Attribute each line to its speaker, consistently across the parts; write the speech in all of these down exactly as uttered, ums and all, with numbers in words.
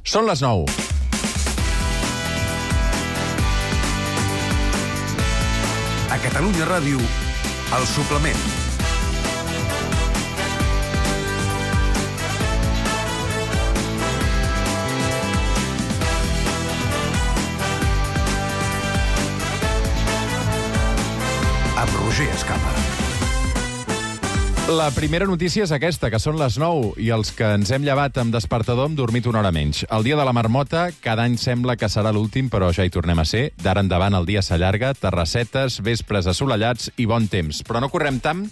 Speaker 1: Són les nou.
Speaker 2: A Catalunya Ràdio, El Suplement. Amb Roger Escapa.
Speaker 1: La primera notícia és aquesta, que són les nou, i els que ens hem llevat amb despertador hem dormit una hora menys. El dia de la marmota cada any sembla que serà l'últim, però ja hi tornem a ser. D'ara endavant el dia s'allarga, terrassetes, vespres assolellats i bon temps. Però no correm tant,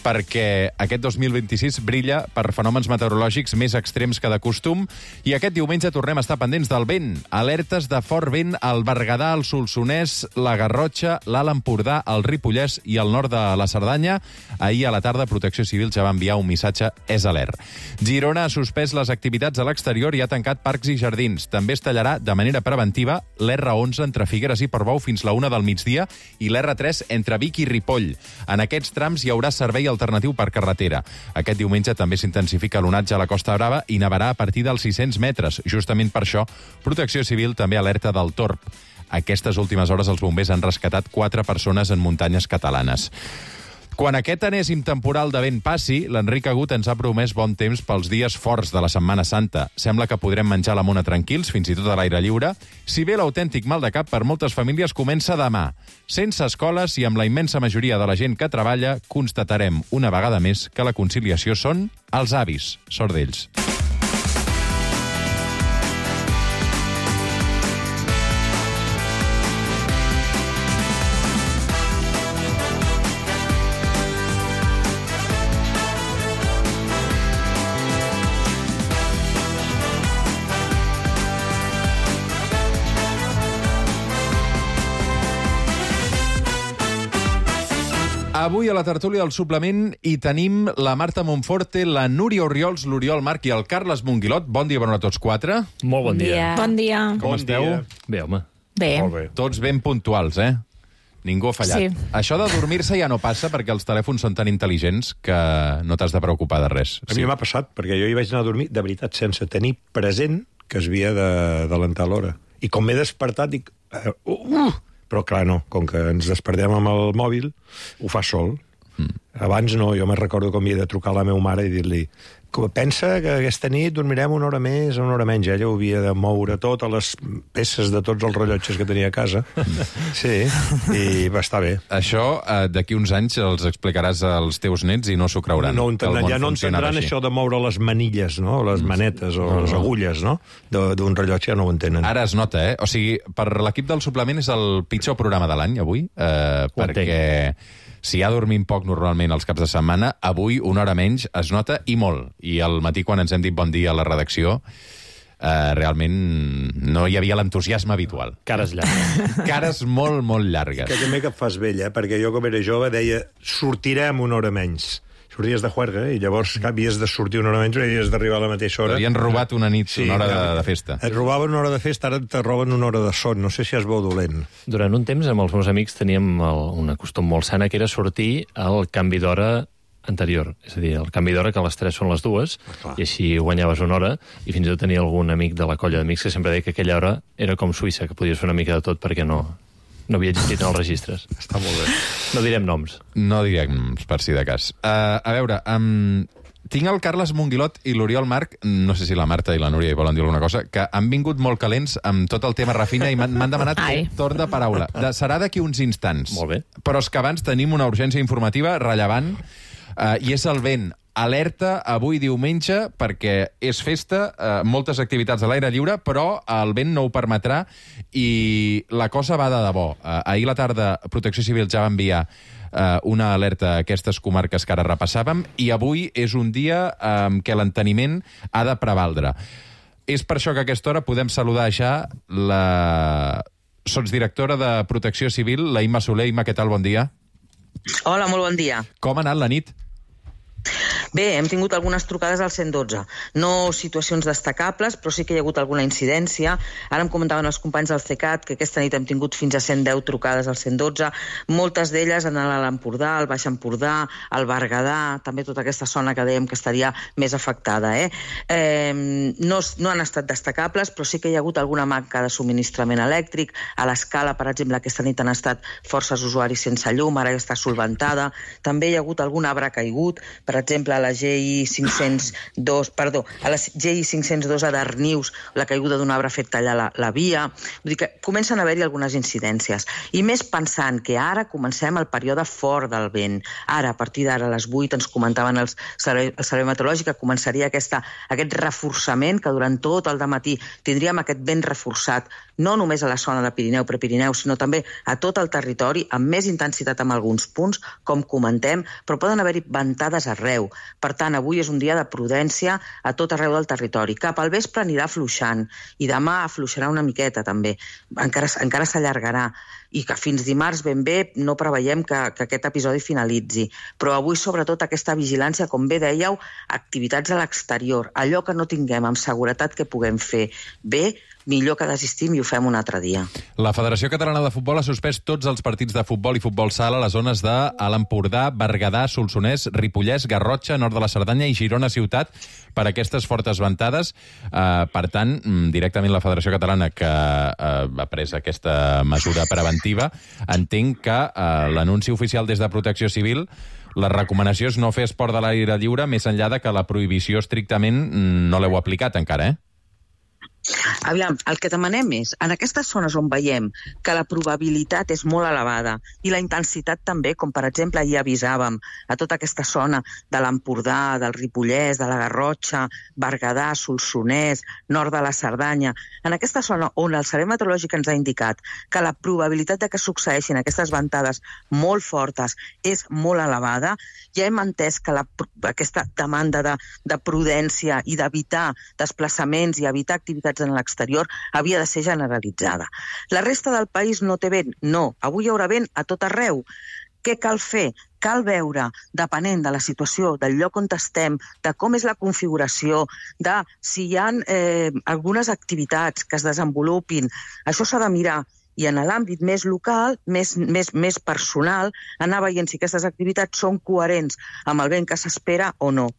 Speaker 1: perquè aquest dos mil vint-i-sis brilla per fenòmens meteorològics més extrems que de costum, i aquest diumenge tornem a estar pendents del vent. Alertes de fort vent al Berguedà, al Solsonès, la Garrotxa, l'Alt Empordà, el Ripollès i el nord de la Cerdanya. Ahir a la tarda Protecció Civil ja va enviar un missatge és alert. Girona ha suspès les activitats a l'exterior i ha tancat parcs i jardins. També es tallarà de manera preventiva l'erre onze entre Figueres i Portbou fins la una del migdia i l'erre tres entre Vic i Ripoll. En aquests trams hi haurà servei alternatiu per carretera. Aquest diumenge també s'intensifica l'onatge a la Costa Brava i nevarà a partir dels sis-cents metres. Justament per això, Protecció Civil també alerta del torb. Aquestes últimes hores els bombers han rescatat quatre persones en muntanyes catalanes. Quan aquest enèsim temporal de vent passi, l'Enric Agut ens ha promès bon temps pels dies forts de la Setmana Santa. Sembla que podrem menjar la mona tranquils, fins i tot a l'aire lliure, si bé l'autèntic mal de cap per moltes famílies comença demà. Sense escoles i amb la immensa majoria de la gent que treballa, constatarem una vegada més que la conciliació són els avis. Sort d'ells. Avui a la tertúlia del Suplement hi tenim la Marta Monforte, la Núria Orriols, l'Oriol Marc i el Carles Monguilot. Bon dia, bona hora a tots quatre.
Speaker 3: Molt bon dia.
Speaker 4: Bon dia.
Speaker 1: Com
Speaker 3: Bon
Speaker 1: esteu?
Speaker 3: dia. Bé, home.
Speaker 4: Bé.
Speaker 3: Molt bé.
Speaker 1: Tots ben puntuals, eh? Ningú ha fallat.
Speaker 4: Sí.
Speaker 1: Això de dormir-se ja no passa perquè els telèfons són tan intel·ligents que no t'has de preocupar de res.
Speaker 5: A mi m'ha passat, perquè jo hi vaig anar a dormir, de veritat, sense tenir present que es havia d'adelantar l'hora. I com m'he despertat, dic... Uh, uh, però clar, no, com que ens despertem amb el mòbil, ho fa sol. Mm. Abans no, jo me'n recordo com havia de trucar a la meva mare i dir-li pensa que aquesta nit dormirem una hora més o una hora menys. Ella ho havia de moure totes les peces de tots els rellotges que tenia a casa. Sí, i va estar bé.
Speaker 1: Això, eh, d'aquí uns anys els explicaràs als teus nets i no s'ho creuran.
Speaker 5: No entendran, ja no entendran això de moure les manilles, no? Les manetes o no, les agulles, no? D'un rellotge ja no ho entenen.
Speaker 1: Ara es nota, eh? O sigui, per l'equip del Suplement és el pitjor programa de l'any, avui, eh, perquè si ja dormim poc normalment els caps de setmana, avui una hora menys es nota i molt. I al matí, quan ens hem dit bon dia a la redacció, eh, realment no hi havia l'entusiasme habitual.
Speaker 3: Cares llargues.
Speaker 1: Cares molt, molt llargues.
Speaker 5: Que també que et fas vella, perquè jo com era jove deia sortirem una hora menys. Sorties de juerga, i llavors havies de sortir una hora menys i havies d'arribar a la mateixa hora.
Speaker 1: T'havien robat una nit, sí, una hora de, de festa.
Speaker 5: Et robaven una hora de festa, ara te roben una hora de son. No sé si és bo o dolent.
Speaker 3: Durant un temps, amb els meus amics, teníem el, una costum molt sana, que era sortir al canvi d'hora anterior. És a dir, el canvi d'hora, que a les tres són les dues,
Speaker 5: ah,
Speaker 3: i així guanyaves una hora, i fins i tot tenia algun amic de la colla d'amics que sempre deia que aquella hora era com Suïssa, que podies fer una mica de tot perquè no... No havia existit en els registres.
Speaker 5: Està molt bé.
Speaker 3: No direm noms.
Speaker 1: No direm noms, per si de cas. Uh, a veure, um, tinc el Carles Monguilot i l'Oriol Marc, no sé si la Marta i la Núria hi volen dir alguna cosa, que han vingut molt calents amb tot el tema Rafina i m'han demanat
Speaker 4: Ai.
Speaker 1: torn de paraula. De, serà d'aquí uns instants.
Speaker 3: Molt bé.
Speaker 1: Però és que abans tenim una urgència informativa rellevant, uh, i és el vent. Alerta avui diumenge perquè és festa, eh, moltes activitats a l'aire lliure, però el vent no ho permetrà i la cosa va de debò. Eh, ahir a la tarda Protecció Civil ja va enviar eh, una alerta a aquestes comarques que ara repassàvem i avui és un dia eh, en què l'enteniment ha de prevaldre. És per això que a aquesta hora podem saludar ja la sotsdirectora de Protecció Civil, la Imma Soler. Imma, què tal? Bon dia.
Speaker 6: Hola, molt bon dia.
Speaker 1: Com ha anat la nit?
Speaker 4: Bé, hem tingut algunes trucades al cent dotze. No situacions destacables, però sí que hi ha hagut alguna incidència. Ara em comentaven els companys del CECAT que aquesta nit hem tingut fins a cent deu trucades al cent dotze. Moltes d'elles en l'Alt Empordà, el Baix Empordà, el Berguedà, també tota aquesta zona que dèiem que estaria més afectada. Eh? Eh, no, no han estat destacables, però sí que hi ha hagut alguna manca de subministrament elèctric. A l'Escala, per exemple, aquesta nit han estat forces usuaris sense llum, ara ja està solventada. També hi ha hagut algun arbre caigut, per exemple, a la G I cinc-cents dos, perdó, a la G I cinc-cents dos a Darnius, la caiguda d'un arbre ha fet tallar la, la via. Vull dir que comencen a haver-hi algunes incidències. I més pensant que ara comencem el període fort del vent. Ara, a partir d'ara, a les vuit, ens comentaven els servei, el Servei Meteorològic que començaria aquesta, aquest reforçament, que durant tot el dematí tindríem aquest vent reforçat, no només a la zona de Pirineu, Prepirineu, sinó també a tot el territori, amb més intensitat en alguns punts, com comentem, però poden haver-hi ventades arreu. Per tant, avui és un dia de prudència a tot arreu del territori. Cap al vespre anirà afluixant i demà afluixarà una miqueta també. Encara, encara s'allargarà i que fins dimarts ben bé no preveiem que, que aquest episodi finalitzi. Però avui, sobretot, aquesta vigilància, com bé dèieu, activitats a l'exterior, allò que no tinguem amb seguretat que puguem fer bé, millor que desistim i ho fem un altre dia.
Speaker 1: La Federació Catalana de Futbol ha suspès tots els partits de futbol i futbol sala a les zones de Alt Empordà, Berguedà, Solsonès, Ripollès, Garrotxa, nord de la Cerdanya i Girona Ciutat per aquestes fortes ventades. Uh, per tant, directament la Federació Catalana, que uh, ha pres aquesta mesura preventiva, entenc que uh, l'anunci oficial des de Protecció Civil, la recomanació és no fer esport de l'aire lliure, més enllà de que la prohibició estrictament no l'heu aplicat encara, eh?
Speaker 4: Aviam, el que demanem és, en aquestes zones on veiem que la probabilitat és molt elevada i la intensitat també, com per exemple ahir avisàvem a tota aquesta zona de l'Empordà, del Ripollès, de la Garrotxa, Berguedà, Solsonès, nord de la Cerdanya, en aquesta zona on el Servei Meteorològic ens ha indicat que la probabilitat de que succeeixin aquestes ventades molt fortes és molt elevada, ja hem entès que la, aquesta demanda de, de prudència i d'evitar desplaçaments i evitar activitats en l'exterior havia de ser generalitzada. La resta del país no té vent? No. Avui hi haurà vent a tot arreu. Què cal fer? Cal veure, depenent de la situació, del lloc on estem, de com és la configuració, de si hi ha eh, algunes activitats que es desenvolupin. Això s'ha de mirar. I en l'àmbit més local, més, més, més personal, anar veient si aquestes activitats són coherents amb el vent que s'espera o no.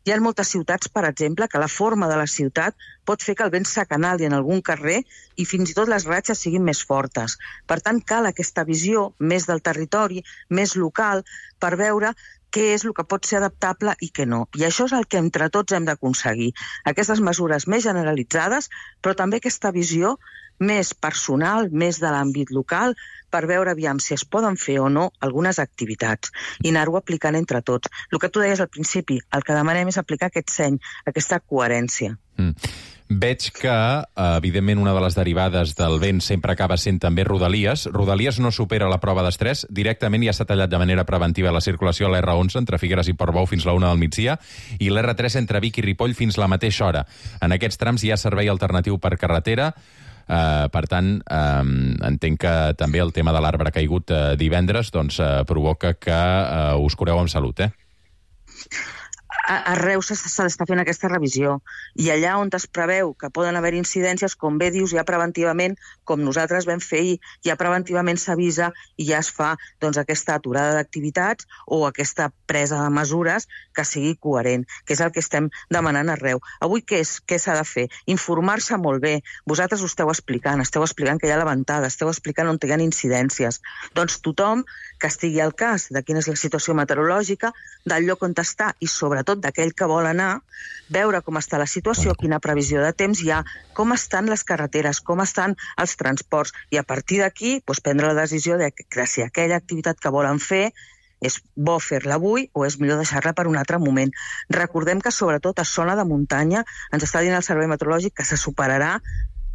Speaker 4: Hi ha moltes ciutats, per exemple, que la forma de la ciutat pot fer que el vent s'acanali en algun carrer i fins i tot les ratxes siguin més fortes. Per tant, cal aquesta visió més del territori, més local, per veure què és el que pot ser adaptable i què no. I això és el que entre tots hem d'aconseguir. Aquestes mesures més generalitzades, però també aquesta visió més personal, més de l'àmbit local, per veure aviam si es poden fer o no algunes activitats i anar-ho aplicant entre tots. El que tu deies al principi, el que demanem és aplicar aquest seny, aquesta coherència.
Speaker 1: Mm. Veig que, evidentment, una de les derivades del vent sempre acaba sent també Rodalies. Rodalies no supera la prova d'estrès. Directament ja s'ha tallat de manera preventiva la circulació a l'erre onze entre Figueres i Portbou fins la una del migdia i l'erre tres entre Vic i Ripoll fins la mateixa hora. En aquests trams hi ha servei alternatiu per carretera. Uh, per tant, uh, entenc que també el tema de l'arbre caigut uh, divendres doncs, uh, provoca que uh, us cureu amb salut, eh?
Speaker 4: Arreu s'està fent aquesta revisió i allà on es preveu que poden haver incidències, com bé dius, ja preventivament, com nosaltres vam fer ahir, ja preventivament s'avisa i ja es fa doncs, aquesta aturada d'activitats o aquesta presa de mesures que sigui coherent, que és el que estem demanant arreu. Avui què és? Què s'ha de fer? Informar-se molt bé. Vosaltres ho esteu explicant, esteu explicant que hi ha la ventada, esteu explicant on hi ha incidències. Doncs tothom que estigui al cas de quina és la situació meteorològica, del lloc on està i sobretot d'aquell que vol anar, veure com està la situació, quina previsió de temps hi ha, com estan les carreteres, com estan els transports, i a partir d'aquí doncs, prendre la decisió de, de si aquella activitat que volen fer és bo fer-la avui o és millor deixar-la per un altre moment. Recordem que sobretot a zona de muntanya ens està dient el Servei Meteorològic que se superarà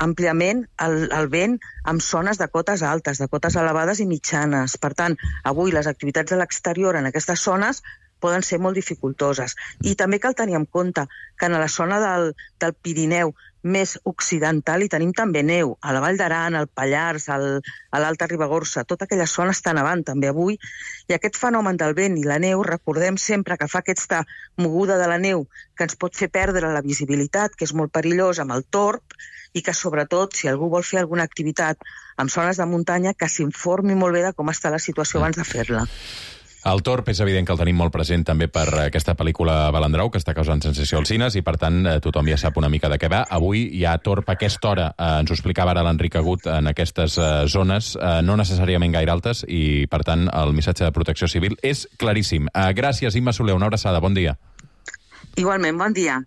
Speaker 4: àmpliament el, el vent amb zones de cotes altes, de cotes elevades i mitjanes. Per tant, avui les activitats a l'exterior en aquestes zones poden ser molt dificultoses. I també cal tenir en compte que en la zona del, del Pirineu més occidental i tenim també neu. A la Vall d'Aran, al Pallars, al, a l'Alta Ribagorça, tota aquella zona està nevant també avui. I aquest fenomen del vent i la neu, recordem sempre que fa aquesta moguda de la neu que ens pot fer perdre la visibilitat, que és molt perillós amb el torb, i que sobretot, si algú vol fer alguna activitat en zones de muntanya, que s'informi molt bé de com està la situació abans de fer-la.
Speaker 1: El torb és evident que el tenim molt present també per aquesta pel·lícula Balandrau, que està causant sensació als cines, i per tant tothom ja sap una mica de què va. Avui hi ha torb a aquesta hora, eh, ens ho explicava ara l'Enric Agut, en aquestes eh, zones, eh, no necessàriament gaire altes, i per tant el missatge de Protecció Civil és claríssim. Eh, gràcies, Imma Soler, una abraçada, bon dia.
Speaker 4: Igualment, bon dia.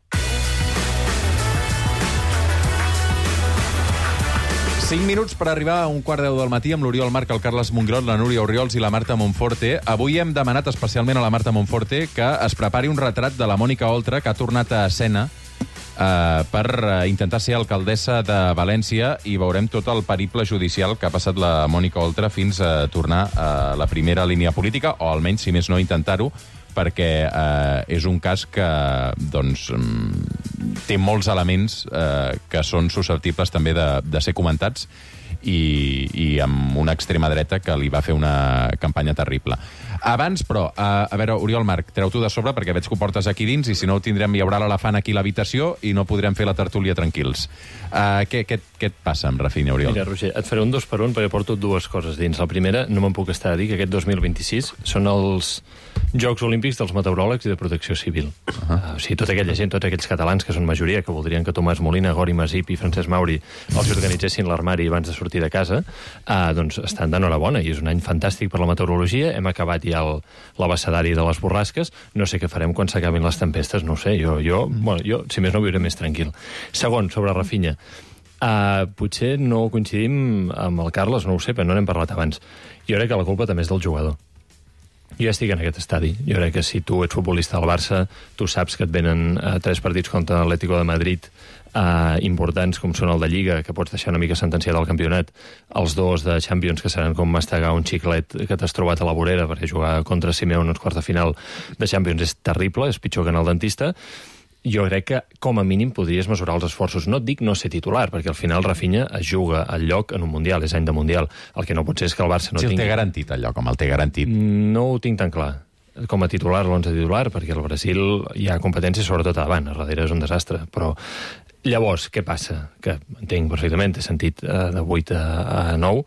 Speaker 1: cinc minuts per arribar a un quart deu del matí amb l'Oriol Marc, el Carles Mongrot, la Núria Orriols i la Marta Monforte. Avui hem demanat especialment a la Marta Monforte que es prepari un retrat de la Mònica Oltra, que ha tornat a escena eh, per intentar ser alcaldessa de València, i veurem tot el periple judicial que ha passat la Mònica Oltra fins a tornar a la primera línia política, o almenys, si més no, intentar-ho, perquè eh, és un cas que doncs, té molts elements eh, que són susceptibles també de, de ser comentats, i, i amb una extrema dreta que li va fer una campanya terrible. Abans, però, a, a veure, Oriol Marc, treu-t'ho de sobre perquè veig que ho portes aquí dins, i si no ho tindrem, hi haurà l'elefant aquí a l'habitació i no podrem fer la tertúlia tranquils. Uh, què, què, què et passa amb Rafinha, Oriol?
Speaker 3: Mira, Roger, et faré un dos per un perquè porto dues coses dins. La primera, no me'n puc estar a dir que aquest dos mil vint-i-sis són els Jocs Olímpics dels meteoròlegs i de Protecció Civil. Uh -huh. uh, o sigui, tota aquella gent, tots aquells catalans que són majoria, que voldrien que Tomàs Molina, Gori Masip i Francesc Mauri els organitzessin l'armari abans de sortir de casa, uh, doncs estan d'enhorabona, i és un any fantàstic per la meteorologia. Hem acabat ja el, l'abecedari de les borrasques. No sé què farem quan s'acabin les tempestes, no ho sé. Jo, jo, mm. bueno, jo, si més no, viuré més tranquil. Segon, sobre Rafinha. Uh, potser no coincidim amb el Carles, no ho sé, però no n'hem parlat abans. Jo crec que la culpa també és del jugador. Jo ja estic en aquest estadi. Jo crec que si tu ets futbolista del Barça, tu saps que et venen uh, tres partits contra l'Atlético de Madrid uh, importants, com són el de Lliga, que pots deixar una mica sentenciat al campionat, els dos de Champions, que seran com mastegar un xiclet que t'has trobat a la vorera, perquè jugar contra Simeone en els quarts de final de Champions és terrible, és pitjor que anar al dentista. Jo crec que, com a mínim, podries mesurar els esforços. No et dic no ser titular, perquè al final Rafinha es juga al lloc en un Mundial, és any de Mundial. El que no pot ser és que el Barça no
Speaker 1: si
Speaker 3: tingui...
Speaker 1: Si el té garantit, el lloc, com el té garantit.
Speaker 3: No ho tinc tan clar. Com a titular, l'onze titular, perquè al Brasil hi ha competència sobretot a davant, a darrere és un desastre. Però llavors, què passa? Que entenc perfectament, he sentit uh, de vuit a nou.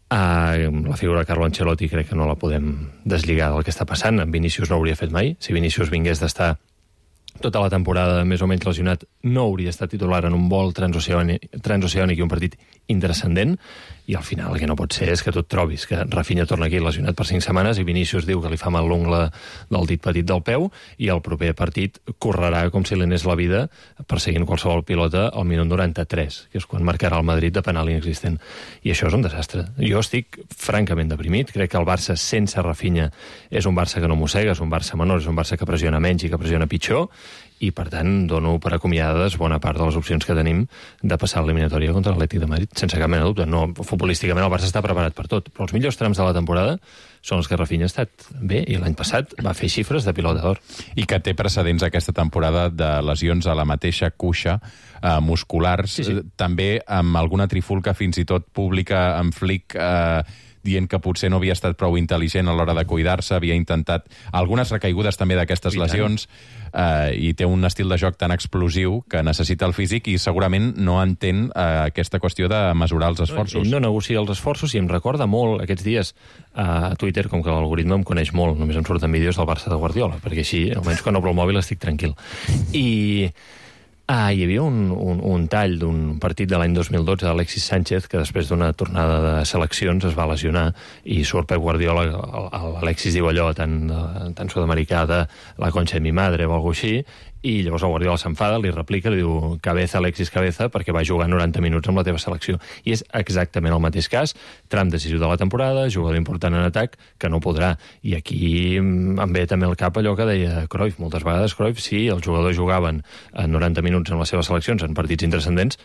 Speaker 3: Uh, la figura de Carlo Ancelotti crec que no la podem deslligar del que està passant. En Vinícius no ho hauria fet mai. Si Vinícius vingués d'estar tota la temporada més o menys lesionat, no hauria estat titular en un vol transoceànic, transoceànic i un partit intrascendent, i al final el que no pot ser és que tu et trobis que Rafinha torna aquí lesionat per cinc setmanes i Vinícius diu que li fa mal l'ungla del dit petit del peu, i el proper partit correrà com si li anés la vida perseguint qualsevol pilota al minut noranta-tres, que és quan marcarà el Madrid de penal inexistent. I això és un desastre. Jo estic francament deprimit. Crec que el Barça sense Rafinha és un Barça que no mossega, és un Barça menor, és un Barça que pressiona menys i que pressiona pitjor, i per tant dono per acomiadades bona part de les opcions que tenim de passar l'eliminatòria contra l'Atlètic de Madrid, sense cap mena de dubte. No, futbolísticament el Barça està preparat per tot, però els millors trams de la temporada són els que Rafinha ha estat bé, i l'any passat va fer xifres de pilota d'or.
Speaker 1: I que té precedents aquesta temporada de lesions a la mateixa cuixa, eh, musculars, sí, sí. També amb alguna trifulca fins i tot pública, amb Flick eh, dient que potser no havia estat prou intel·ligent a l'hora de cuidar-se, havia intentat algunes recaigudes també d'aquestes lesions, eh, i té un estil de joc tan explosiu que necessita el físic, i segurament no entén eh, aquesta qüestió de mesurar els esforços.
Speaker 3: Ell no negocia els esforços, i em recorda molt aquests dies a Twitter, com que l'algoritme em coneix molt, només em surten vídeos del Barça de Guardiola, perquè així, almenys quan obro el mòbil estic tranquil. I... Ah, hi havia un, un, un tall d'un partit de l'any dos mil dotze d'Alexis Sánchez, que després d'una tornada de seleccions es va lesionar, i surt Pep Guardiola, l'Alexis diu allò tan, tan sud-americà de la concha de mi madre o alguna cosa així, i llavors el Guardiola s'enfada, li replica, li diu cabeza, Alexis, cabeza, perquè va jugar noranta minuts amb la teva selecció. I és exactament el mateix cas, tram decisiu de la temporada, jugador important en atac, que no podrà. I aquí em ve també al cap allò que deia Cruyff, moltes vegades Cruyff, si els jugadors jugaven a noranta minuts en les seves seleccions, en partits intrascendents,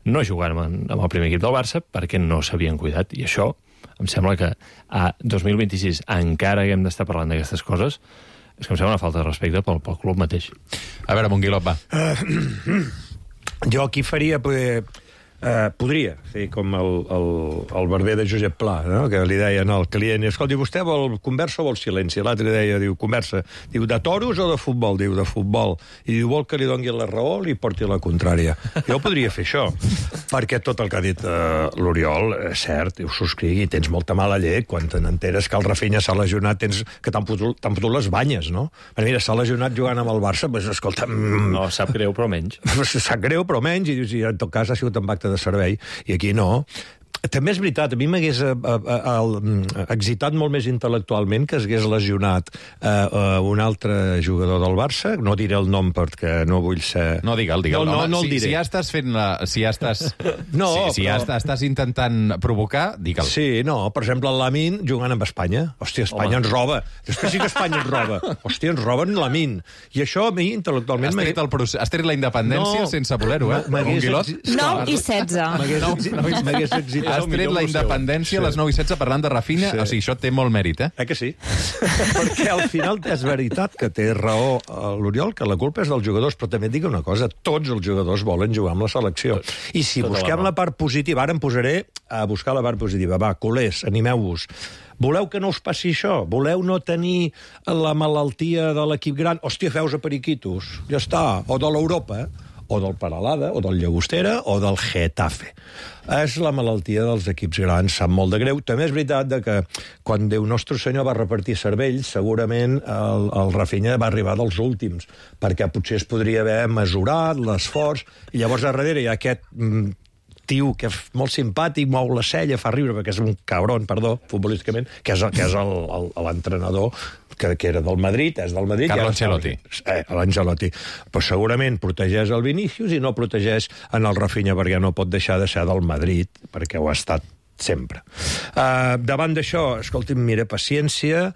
Speaker 3: no jugaven amb el primer equip del Barça perquè no s'havien cuidat. I això em sembla que a dos mil vint-i-sis encara haguem d'estar parlant d'aquestes coses. És que em sembla una falta de respecte pel, pel club mateix.
Speaker 1: A veure, Monguilot, va.
Speaker 5: Uh, jo aquí faria... Poder, eh, podria fer com el, el, el barber de Josep Pla, no? Que li deien al client, escolti, vostè vol conversa o vol silenci? L'altre deia, diu, conversa. Diu, de toros o de futbol? Diu, de futbol. I diu, vol que li doni la raó o li porti la contrària? Jo podria fer això, perquè tot el que ha dit eh, l'Oriol, és cert, ho subscrigui, tens molta mala llet quan te n'enteres que el Rafinha s'ha lesionat, tens que t'han fotut, t'han fotut les banyes, no? Però mira, s'ha lesionat jugant amb el Barça, doncs, escolta... Mm,
Speaker 3: no, sap greu, però menys.
Speaker 5: Sap greu, però menys, i dius, i en tot cas ha sigut un acte de servei, i aquí no. També és veritat, a mi m'hagués eh, eh, excitat molt més intel·lectualment que es hagués lesionat eh, eh, un altre jugador del Barça, no diré el nom perquè no vull ser...
Speaker 1: No, digue'l, digue'l.
Speaker 5: No, no,
Speaker 1: Home,
Speaker 5: no el
Speaker 1: si,
Speaker 5: diré.
Speaker 1: si ja estàs fent la... Si ja estàs...
Speaker 5: No,
Speaker 1: si, si ja
Speaker 5: però-
Speaker 1: estàs intentant provocar, digue'l.
Speaker 5: Sí, no, per exemple, el Lamin jugant amb Espanya. Hòstia, Espanya
Speaker 3: Home.
Speaker 5: ens roba. Després sí que Espanya ens roba. Hòstia, ens roben Lamin. I això a mi, intel·lectualment...
Speaker 1: Has tret, el procés, has tret la independència
Speaker 5: No.
Speaker 1: sense voler-ho, eh?
Speaker 5: M'hagués
Speaker 1: Un guilot.
Speaker 5: exi-
Speaker 6: nou i setze.
Speaker 5: M'hagués exi- m'hagués excitat
Speaker 1: Has
Speaker 5: el
Speaker 1: tret
Speaker 5: millor
Speaker 1: la
Speaker 5: museu.
Speaker 1: independència a les nou i setze parlant de Rafinha,
Speaker 5: Sí.
Speaker 1: o sigui, això té molt mèrit, eh?
Speaker 5: Eh que sí? Perquè al final és veritat que té raó l'Oriol, que la culpa és dels jugadors, però també et dic una cosa, tots els jugadors volen jugar amb la selecció. I si
Speaker 3: Tota la
Speaker 5: busquem
Speaker 3: raó.
Speaker 5: la part positiva, ara em posaré a buscar la part positiva. Va, culers, animeu-vos. Voleu que no us passi això? Voleu no tenir la malaltia de l'equip gran? Hòstia, feus a periquitos. Ja està. O de l'Europa, o del Peralada, o del Llagostera, o del Getafe. És la malaltia dels equips grans, sap molt de greu. També és veritat de que quan Déu Nostre Senyor va repartir cervells, segurament el, el Rafinha va arribar dels últims, perquè potser es podria haver mesurat l'esforç, i llavors a darrere hi ha aquest... Mm, tio que és molt simpàtic, mou la cella, fa riure, perquè és un cabron, perdó, futbolísticament, que és, que és el, el, l'entrenador que, que era del Madrid, és del Madrid...
Speaker 1: Carlo
Speaker 5: i ara-
Speaker 1: Ancelotti.
Speaker 5: Eh, l'Ancelotti. Però segurament protegeix el Vinícius i no protegeix en el Rafinha, perquè no pot deixar de ser del Madrid, perquè ho ha estat sempre. Uh, davant d'això, escolti'm, mira, paciència.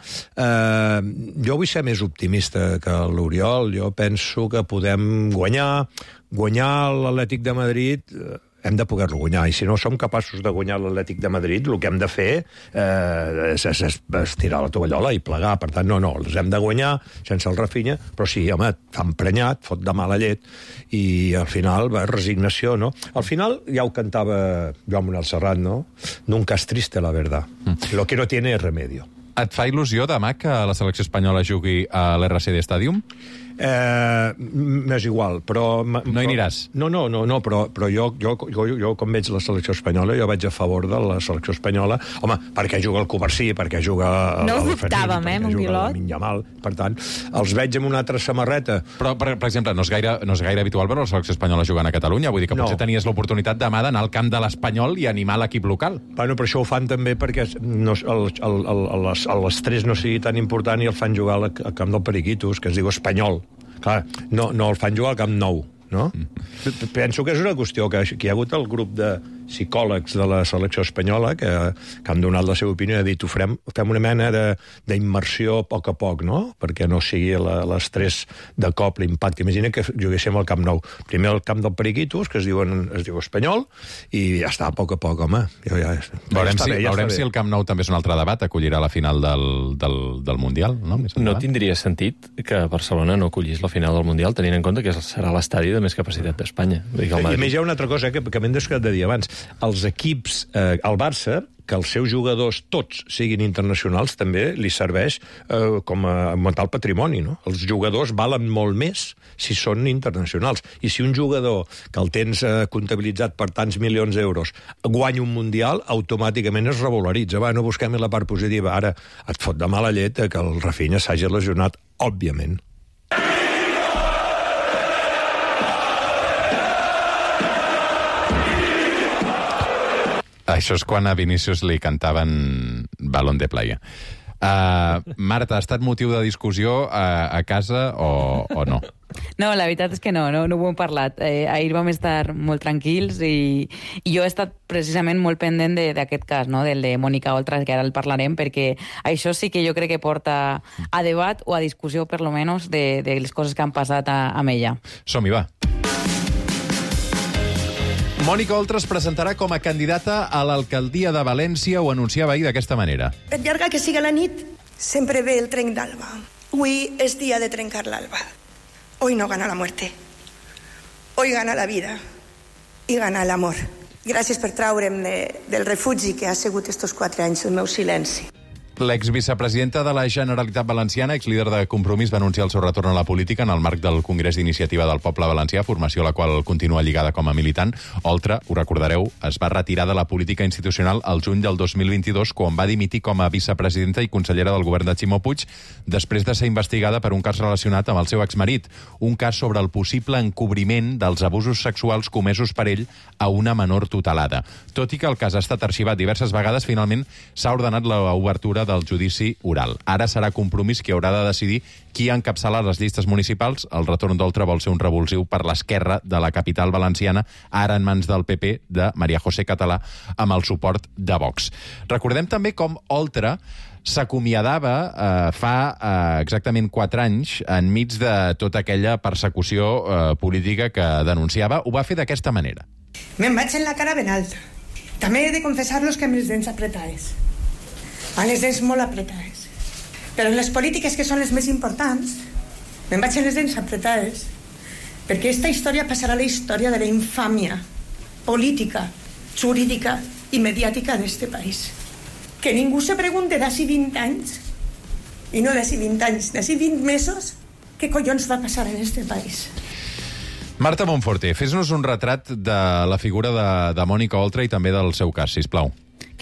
Speaker 5: Uh, jo vull ser més optimista que l'Oriol. Jo penso que podem guanyar. Guanyar l'Atlètic de Madrid... Uh, hem de poder-lo guanyar, i si no som capaços de guanyar l'Atlètic de Madrid, el que hem de fer eh, és, és, és tirar la tovallola i plegar. Per tant, no, no, els hem de guanyar sense el Rafinha, però sí, home, t'ha emprenyat, fot de mala llet, i al final, va, resignació, no? Al final, ja ho cantava Joan Manuel Serrat, no? Nunca es triste, la verdad. Mm. Lo que no tiene es remedio.
Speaker 1: Et fa il·lusió demà que la selecció espanyola jugui a l'R C D Stadium?
Speaker 5: Eh, m'és igual, però...
Speaker 1: No hi aniràs?
Speaker 5: No, no, no, no però, però jo, jo, jo, jo, com veig la selecció espanyola, jo vaig a favor de la selecció espanyola, home, perquè juga el Covarsí, perquè juga... El,
Speaker 6: No ho
Speaker 5: el
Speaker 6: dubtàvem,
Speaker 5: Fermín,
Speaker 6: eh,
Speaker 5: perquè
Speaker 6: un
Speaker 5: juga
Speaker 6: pilot.
Speaker 5: el Minyamal, per tant, els veig amb una altra samarreta.
Speaker 1: Però, per, per exemple, no és, gaire, no és gaire habitual veure la selecció espanyola jugant a Catalunya. Vull dir que
Speaker 5: No.
Speaker 1: potser tenies l'oportunitat demà d'anar al camp de l'Espanyol i animar l'equip local.
Speaker 5: Bueno, però això ho fan també perquè no, el, el, el, el, l'estrès no sigui tan important i el fan jugar al, al camp del Periquitos, que es diu Espanyol. Clar, no, no el fan jugar al Camp Nou, no? Mm. Penso que és una qüestió que, que hi ha hagut el grup de psicòlegs de la selecció espanyola que, que han donat la seva opinió i ha dit ho farem, fem una mena d'immersió a poc a poc, no? Perquè no sigui l'estrès de cop, l'impacte. Imagina que juguéssim al Camp Nou. Primer al camp del Periquitos, que es, diuen, es diu Espanyol, i ja està, a poc a poc, home. Jo ja,
Speaker 1: Veurem,
Speaker 5: ja
Speaker 1: si,
Speaker 5: bé, ja
Speaker 1: veurem
Speaker 5: està
Speaker 1: si
Speaker 5: bé.
Speaker 1: el Camp Nou també és un altre debat, acollirà la final del, del, del Mundial, no? Més
Speaker 3: No
Speaker 1: endavant.
Speaker 3: tindria sentit que Barcelona no acollís la final del Mundial, tenint en compte que serà l'estadi de més capacitat d'Espanya. Vull dir que el
Speaker 5: I a
Speaker 3: Madrid-
Speaker 5: més hi ha una altra cosa eh, que, que m'hem descuidat de dir abans. Els equips, eh, el Barça, que els seus jugadors tots siguin internacionals, també li serveix eh, com a augmentar el patrimoni, no? Els jugadors valen molt més si són internacionals. I si un jugador que el tens eh, comptabilitzat per tants milions d'euros guanya un Mundial, automàticament es revaloritza. Va, no busquem la part positiva. Ara et fot de mala llet que el Rafinha s'hagi lesionat, òbviament.
Speaker 1: Això és quan a Vinícius li cantaven Balón de Playa. Uh, Marta, ha estat motiu de discussió a, a casa o, o no?
Speaker 7: No, la veritat és que no, no, no ho hem parlat. Eh, ahir vam estar molt tranquils i, i jo he estat precisament molt pendent d'aquest cas, no? Del de Mònica Oltra, que ara el parlarem, perquè això sí que jo crec que porta a debat o a discussió, per lo menos, de, de les coses que han passat a, amb ella.
Speaker 1: Som-hi, va. Mònica Oltra es presentarà com a candidata a l'alcaldia de València, ho anunciava ahir d'aquesta manera.
Speaker 8: Per llarga que siga la nit, sempre ve el trenc d'alba. Avui és dia de trencar l'alba. Hoy no gana la muerte. hoy gana la vida i gana l'amor. Gràcies per traure'm de, del refugi que ha sigut estos quatre anys el meu silenci.
Speaker 1: L'exvicepresidenta de la Generalitat Valenciana, exlíder de Compromís, va anunciar el seu retorn a la política en el marc del Congrés d'Iniciativa del Poble Valencià, formació a la qual continua lligada com a militant. Oltra, ho recordareu, es va retirar de la política institucional al juny del dos mil vint-i-dos, quan va dimitir com a vicepresidenta i consellera del govern de Ximo Puig, després de ser investigada per un cas relacionat amb el seu exmarit, un cas sobre el possible encobriment dels abusos sexuals comesos per ell a una menor tutelada. Tot i que el cas ha estat arxivat diverses vegades, finalment s'ha ordenat l'obertura del judici oral. Ara serà Compromís qui haurà de decidir qui encapçala les llistes municipals. El retorn d'Oltra vol ser un revulsiu per l'esquerra de la capital valenciana, ara en mans del P P de María José Català, amb el suport de Vox. Recordem també com Oltra s'acomiadava eh, fa eh, exactament quatre anys enmig de tota aquella persecució eh, política que denunciava. Ho va fer d'aquesta manera.
Speaker 8: Me'n vaig en la cara ben alta. També he de confessar-los que amb les dents apretades. Amb les dents molt apretades. Però en les polítiques que són les més importants, me'n vaig en les dents apretades, perquè aquesta història passarà a la història de la infàmia política, jurídica i mediàtica d'este país. Que ningú se pregunte d'ací vint anys, i no d'ací vint anys, d'ací vint mesos, què collons va passar en este país.
Speaker 1: Marta Monforte, fes-nos un retrat de la figura de, de Mònica Oltra i també del seu cas, sisplau.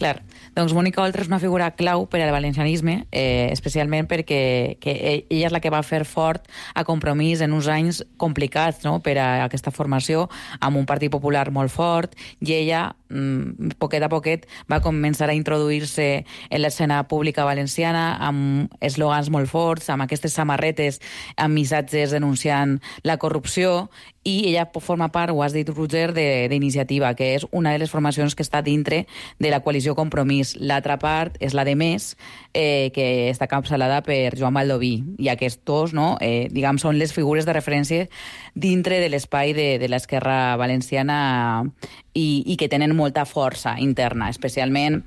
Speaker 7: Clar, doncs Mònica Oltra és una figura clau per al valencianisme, eh, especialment perquè que ella és la que va fer fort a Compromís en uns anys complicats, no?, per a aquesta formació, amb un Partit Popular molt fort, i ella, mm, poquet a poquet, va començar a introduir-se en l'escena pública valenciana amb eslògans molt forts, amb aquestes samarretes, amb missatges denunciant la corrupció, i ella forma part, ho has dit, Roger, d'Iniciativa, que és una de les formacions que està dintre de la coalició Compromís. L'altra part és la de Més, eh, que està capçalada per Joan Baldoví. I aquests dos, no, eh, diguem, són les figures de referència dintre de l'espai de, de l'esquerra valenciana i, i que tenen molta força interna, especialment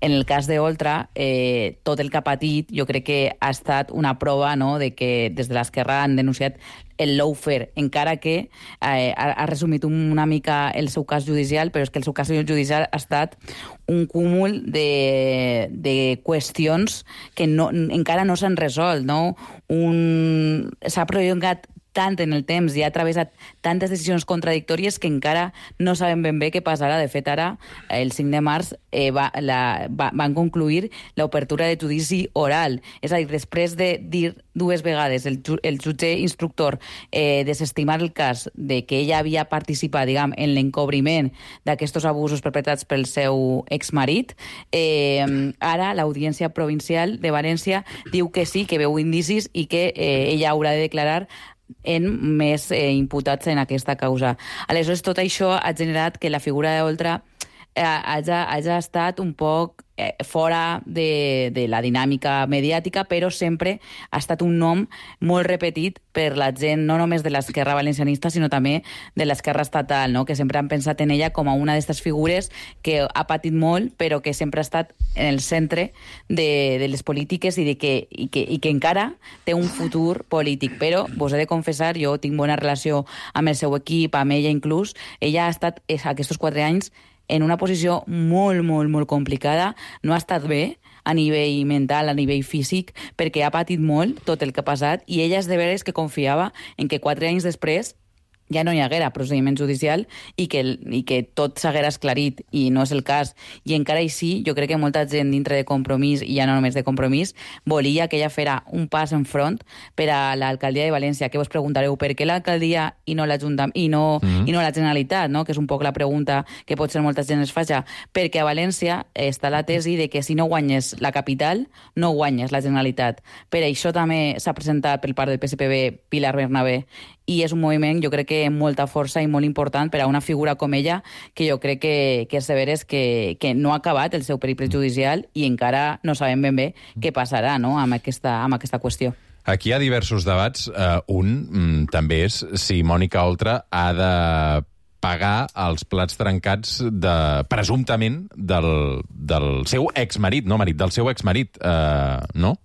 Speaker 7: en el cas d'Oltra, eh, tot el que ha patit jo crec que ha estat una prova, no?, de que des de l'esquerra han denunciat el lawfare, encara que eh, ha, ha resumit una mica el seu cas judicial, però és que el seu cas judicial ha estat un cúmul de, de qüestions que no, encara no s'han resolt, no? Un... S'ha prolongat tant en el temps i ha travessat tantes decisions contradictòries que encara no sabem ben bé què passarà. De fet, ara, el cinc de març, eh, va, la, va, van concluir l'obertura de judici oral. És a dir, després de dir dues vegades el, el jutge instructor eh, desestimar el cas de que ella havia participat, diguem, en l'encobriment d'aquests abusos perpetrats pel seu exmarit, eh, ara l'Audiència Provincial de València diu que sí, que veu indicis i que eh, ella haurà de declarar en més eh, imputats en aquesta causa. Aleshores, tot això ha generat que la figura d'Oltra eh, hagi, hagi estat un poc eh, fora de, de la dinàmica mediàtica, però sempre ha estat un nom molt repetit per la gent, no només de l'esquerra valencianista, sinó també de l'esquerra estatal, no?, que sempre han pensat en ella com a una d'aquestes figures que ha patit molt, però que sempre ha estat en el centre de, de les polítiques i, de que, i, que, i que encara té un futur polític. Però vos he de confessar, jo tinc bona relació amb el seu equip, amb ella inclús, ella ha estat aquests quatre anys en una posició molt, molt, molt complicada, no ha estat bé a nivell mental, a nivell físic, perquè ha patit molt tot el que ha passat, i ella és de veres que confiava en que quatre anys després ja no hi haguera procediment judicial i que, i que tot s'haguera esclarit, i no és el cas. I encara així, jo crec que molta gent dintre de Compromís, i ja no només de Compromís, volia que ella fera un pas en front per a l'alcaldia de València, que vos preguntareu per què l'alcaldia i no l'Ajuntament i, no, mm-hmm. i no la Generalitat, no?, que és un poc la pregunta que potser molta gent es faci, perquè a València està la tesi de que si no guanyes la capital, no guanyes la Generalitat. Per això també s'ha presentat pel part del P S P B Pilar Bernabé, i és un moviment, jo crec que amb molta força i molt important per a una figura com ella, que jo crec que, que és de veres que, que no ha acabat el seu periple judicial i encara no sabem ben bé què passarà, no?, amb aquesta, amb aquesta qüestió.
Speaker 1: Aquí hi ha diversos debats. Uh, un mm, també és si Mònica Oltra ha de pagar els plats trencats de, presumptament del, del seu exmarit, no marit, del seu exmarit, uh, no?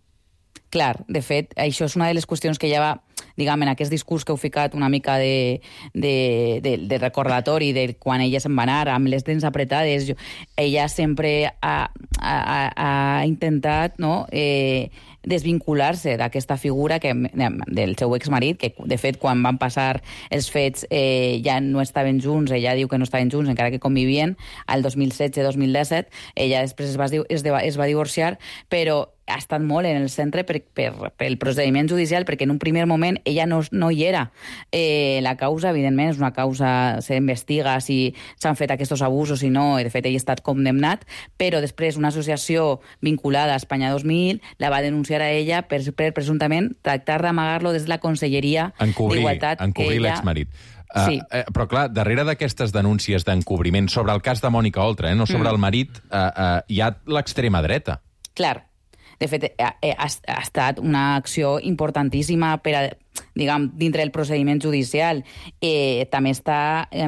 Speaker 7: Clar, de fet, això és una de les qüestions que ja va, diguem, en aquest discurs que heu ficat una mica de, de, de, de recordatori de quan ella se'n va anar, amb les dents apretades, jo, ella sempre ha, ha, ha intentat, no?, eh, desvincular-se d'aquesta figura que, del seu exmarit, que de fet quan van passar els fets eh, ja no estaven junts, ella diu que no estaven junts, encara que convivien, al dos mil setze dos mil disset, ella després es va, es, es va divorciar, però ha estat molt en el centre per, per, per el procediment judicial, perquè en un primer moment ella no, no hi era. Eh, la causa, evidentment, és una causa, s'investiga si s'han fet aquests abusos i no, i de fet ell ha estat condemnat, però després una associació vinculada a Espanya dos mil la va denunciar a ella per, per presumptament tractar d'amagar-lo des de la Conselleria d'Igualtat.
Speaker 1: Encobrir
Speaker 7: ella...
Speaker 1: l'exmarit. Uh,
Speaker 7: sí.
Speaker 1: eh, però clar, darrere d'aquestes denúncies d'encobriment sobre el cas de Mònica Oltra, eh, no sobre mm. el marit, uh, uh, hi ha l'extrema dreta.
Speaker 7: Clar. De fet, ha, ha, ha estat una acció importantíssima per a, diguem, dintre del procediment judicial. Eh, també està eh,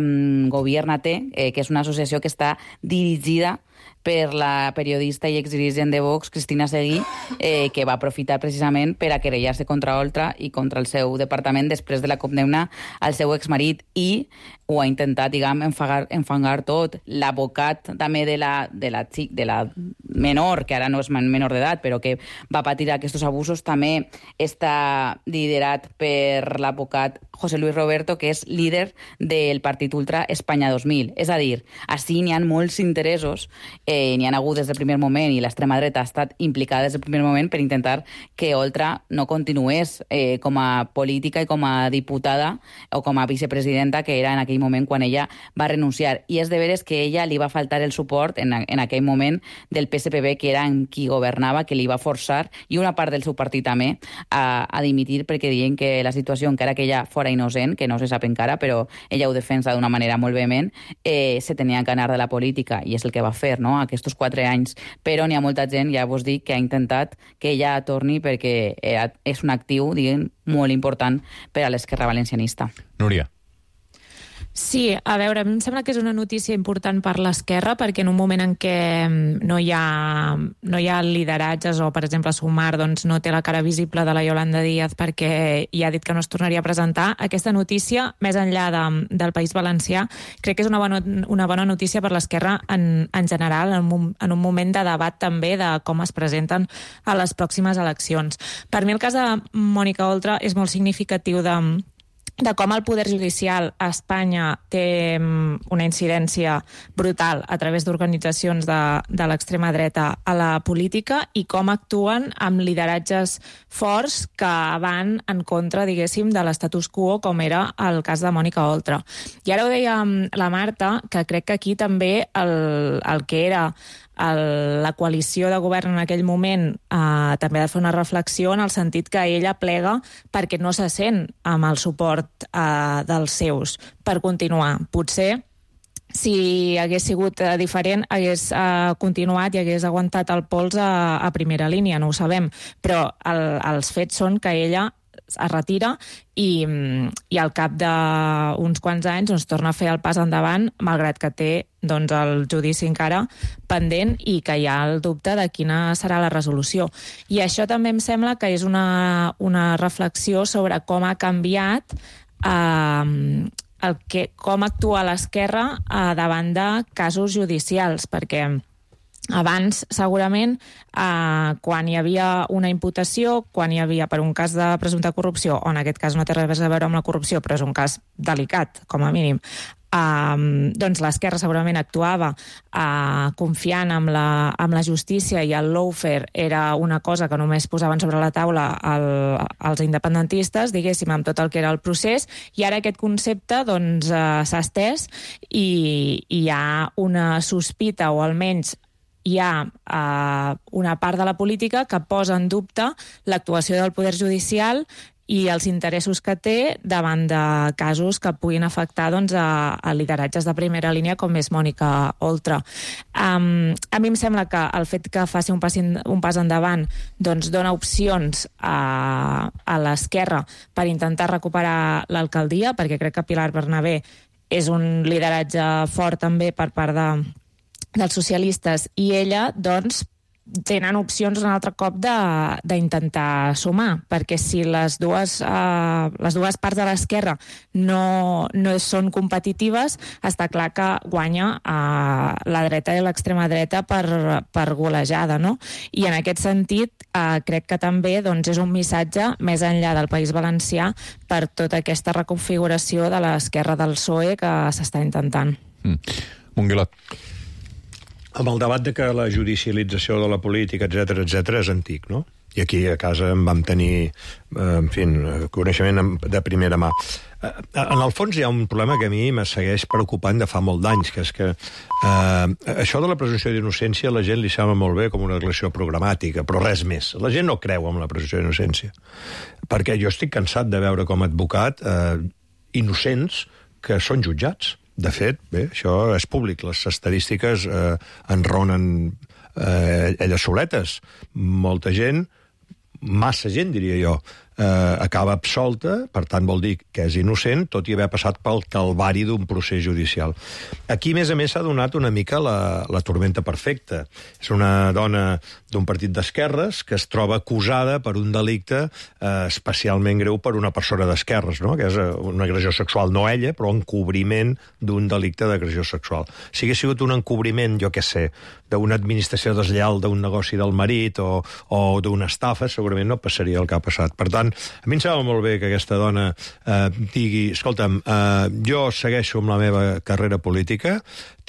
Speaker 7: Gobiernate, eh, que és una associació que està dirigida per la periodista i exdirigent de Vox, Cristina Seguí, eh, que va aprofitar precisament per a querellar-se contra Oltra i contra el seu departament després de la condemna al seu exmarit, i ho ha intentat, diguem, enfangar, enfangar tot. L'advocat també de la, de, la, de la menor, que ara no és menor d'edat, però que va patir aquests abusos, també està liderat per l'advocat José Luis Roberto, que és líder del partit ultra Espanya dos mil. És a dir, així n'hi ha molts interessos, eh, n'hi ha hagut des del primer moment, i l'extrema dreta ha estat implicada des del primer moment per intentar que Oltra no continués eh, com a política i com a diputada o com a vicepresidenta, que era en aquell moment quan ella va renunciar. I és de veres que ella li va faltar el suport en, en aquell moment del P S P B, que era en qui governava, que li va forçar, i una part del seu partit també, a, a dimitir, perquè diuen que la situació, encara que ella fora innocent, que no se sap encara, però ella ho defensa d'una manera molt vehement, eh, se tenia que anar de la política, i és el que va fer, no?, aquests quatre anys. Però n'hi ha molta gent, ja vos dic, que ha intentat que ella torni, perquè és un actiu, diguem, molt important per a l'esquerra valencianista.
Speaker 1: Núria.
Speaker 6: Sí, a veure, a mi em sembla que és una notícia important per l'esquerra, perquè en un moment en què no hi ha, no hi ha lideratges, o per exemple Sumar doncs, no té la cara visible de la Yolanda Díaz perquè ja ha dit que no es tornaria a presentar, aquesta notícia, més enllà de, del País Valencià, crec que és una bona, una bona notícia per l'esquerra en, en general, en un, en un moment de debat també de com es presenten a les pròximes eleccions. Per mi el cas de Mònica Oltra és molt significatiu de de com el poder judicial a Espanya té una incidència brutal a través d'organitzacions de, de l'extrema dreta a la política, i com actuen amb lideratges forts que van en contra, diguéssim, de l'estatus quo, com era el cas de Mònica Oltra. I ara ho deia la Marta, que crec que aquí també el, el que era el, la coalició de govern en aquell moment eh, també ha de fer una reflexió en el sentit que ella plega perquè no se sent amb el suport eh, dels seus per continuar. Potser si hagués sigut eh, diferent, hagués eh, continuat i hagués aguantat el pols a, a primera línia, no ho sabem, però el, els fets són que ella es retira i, i al cap d'uns quants anys doncs, torna a fer el pas endavant, malgrat que té doncs, el judici encara pendent i que hi ha el dubte de quina serà la resolució. I això també em sembla que és una, una reflexió sobre com ha canviat eh, el que, com actua l'esquerra eh, davant de casos judicials, perquè abans, segurament, eh, quan hi havia una imputació, quan hi havia per un cas de presumpta corrupció, o en aquest cas no té res a veure amb la corrupció, però és un cas delicat, com a mínim, eh, doncs l'esquerra segurament actuava eh, confiant en la, en la justícia, i el lawfare era una cosa que només posaven sobre la taula el, els independentistes, diguéssim, amb tot el que era el procés, i ara aquest concepte doncs, eh, s'ha estès i, i hi ha una sospita, o almenys hi ha eh, una part de la política que posa en dubte l'actuació del poder judicial i els interessos que té davant de casos que puguin afectar doncs, a, a lideratges de primera línia com és Mònica Oltra. Um, a mi em sembla que el fet que faci un pas, un pas endavant doncs, dona opcions a, a l'esquerra per intentar recuperar l'alcaldia, perquè crec que Pilar Bernabé és un lideratge fort també per part de dels socialistes, i ella, doncs, tenen opcions un altre cop d'intentar sumar, perquè si les dues, eh, les dues parts de l'esquerra no, no són competitives, està clar que guanya eh, la dreta i l'extrema dreta per, per golejada, no? I en aquest sentit eh, crec que també doncs, és un missatge més enllà del País Valencià per tota aquesta reconfiguració de l'esquerra del P S O E que s'està intentant.
Speaker 1: Mm. Monguilot.
Speaker 5: Amb el debat de que la judicialització de la política, etcètera, etcètera, és antic, no? I aquí a casa en vam tenir, eh, en fi, coneixement de primera mà. Eh, en el fons hi ha un problema que a mi me segueix preocupant de fa molt d'anys, que és que eh, això de la presumpció d'innocència a la gent li sembla molt bé com una declaració programàtica, però res més. La gent no creu en la presumpció d'innocència. Perquè jo estic cansat de veure com a advocat eh, innocents que són jutjats. De fet, bé, això és públic. Les estadístiques eh, enronen eh, elles soletes. Molta gent, massa gent, diria jo, eh, acaba absolta, per tant vol dir que és innocent, tot i haver passat pel calvari d'un procés judicial. Aquí, a més a més, s'ha donat una mica la, la tormenta perfecta. És una dona d'un partit d'esquerres que es troba acusada per un delicte eh, especialment greu per una persona d'esquerres, no? Que és una agressió sexual, no ella, però encobriment d'un delicte d'agressió sexual. Si hagués sigut un encobriment, jo què sé, d'una administració deslleial d'un negoci del marit o, o d'una estafa, segurament no passaria el que ha passat. Per tant, a mi em sembla molt bé que aquesta dona eh, digui, escolta'm, eh, jo segueixo amb la meva carrera política,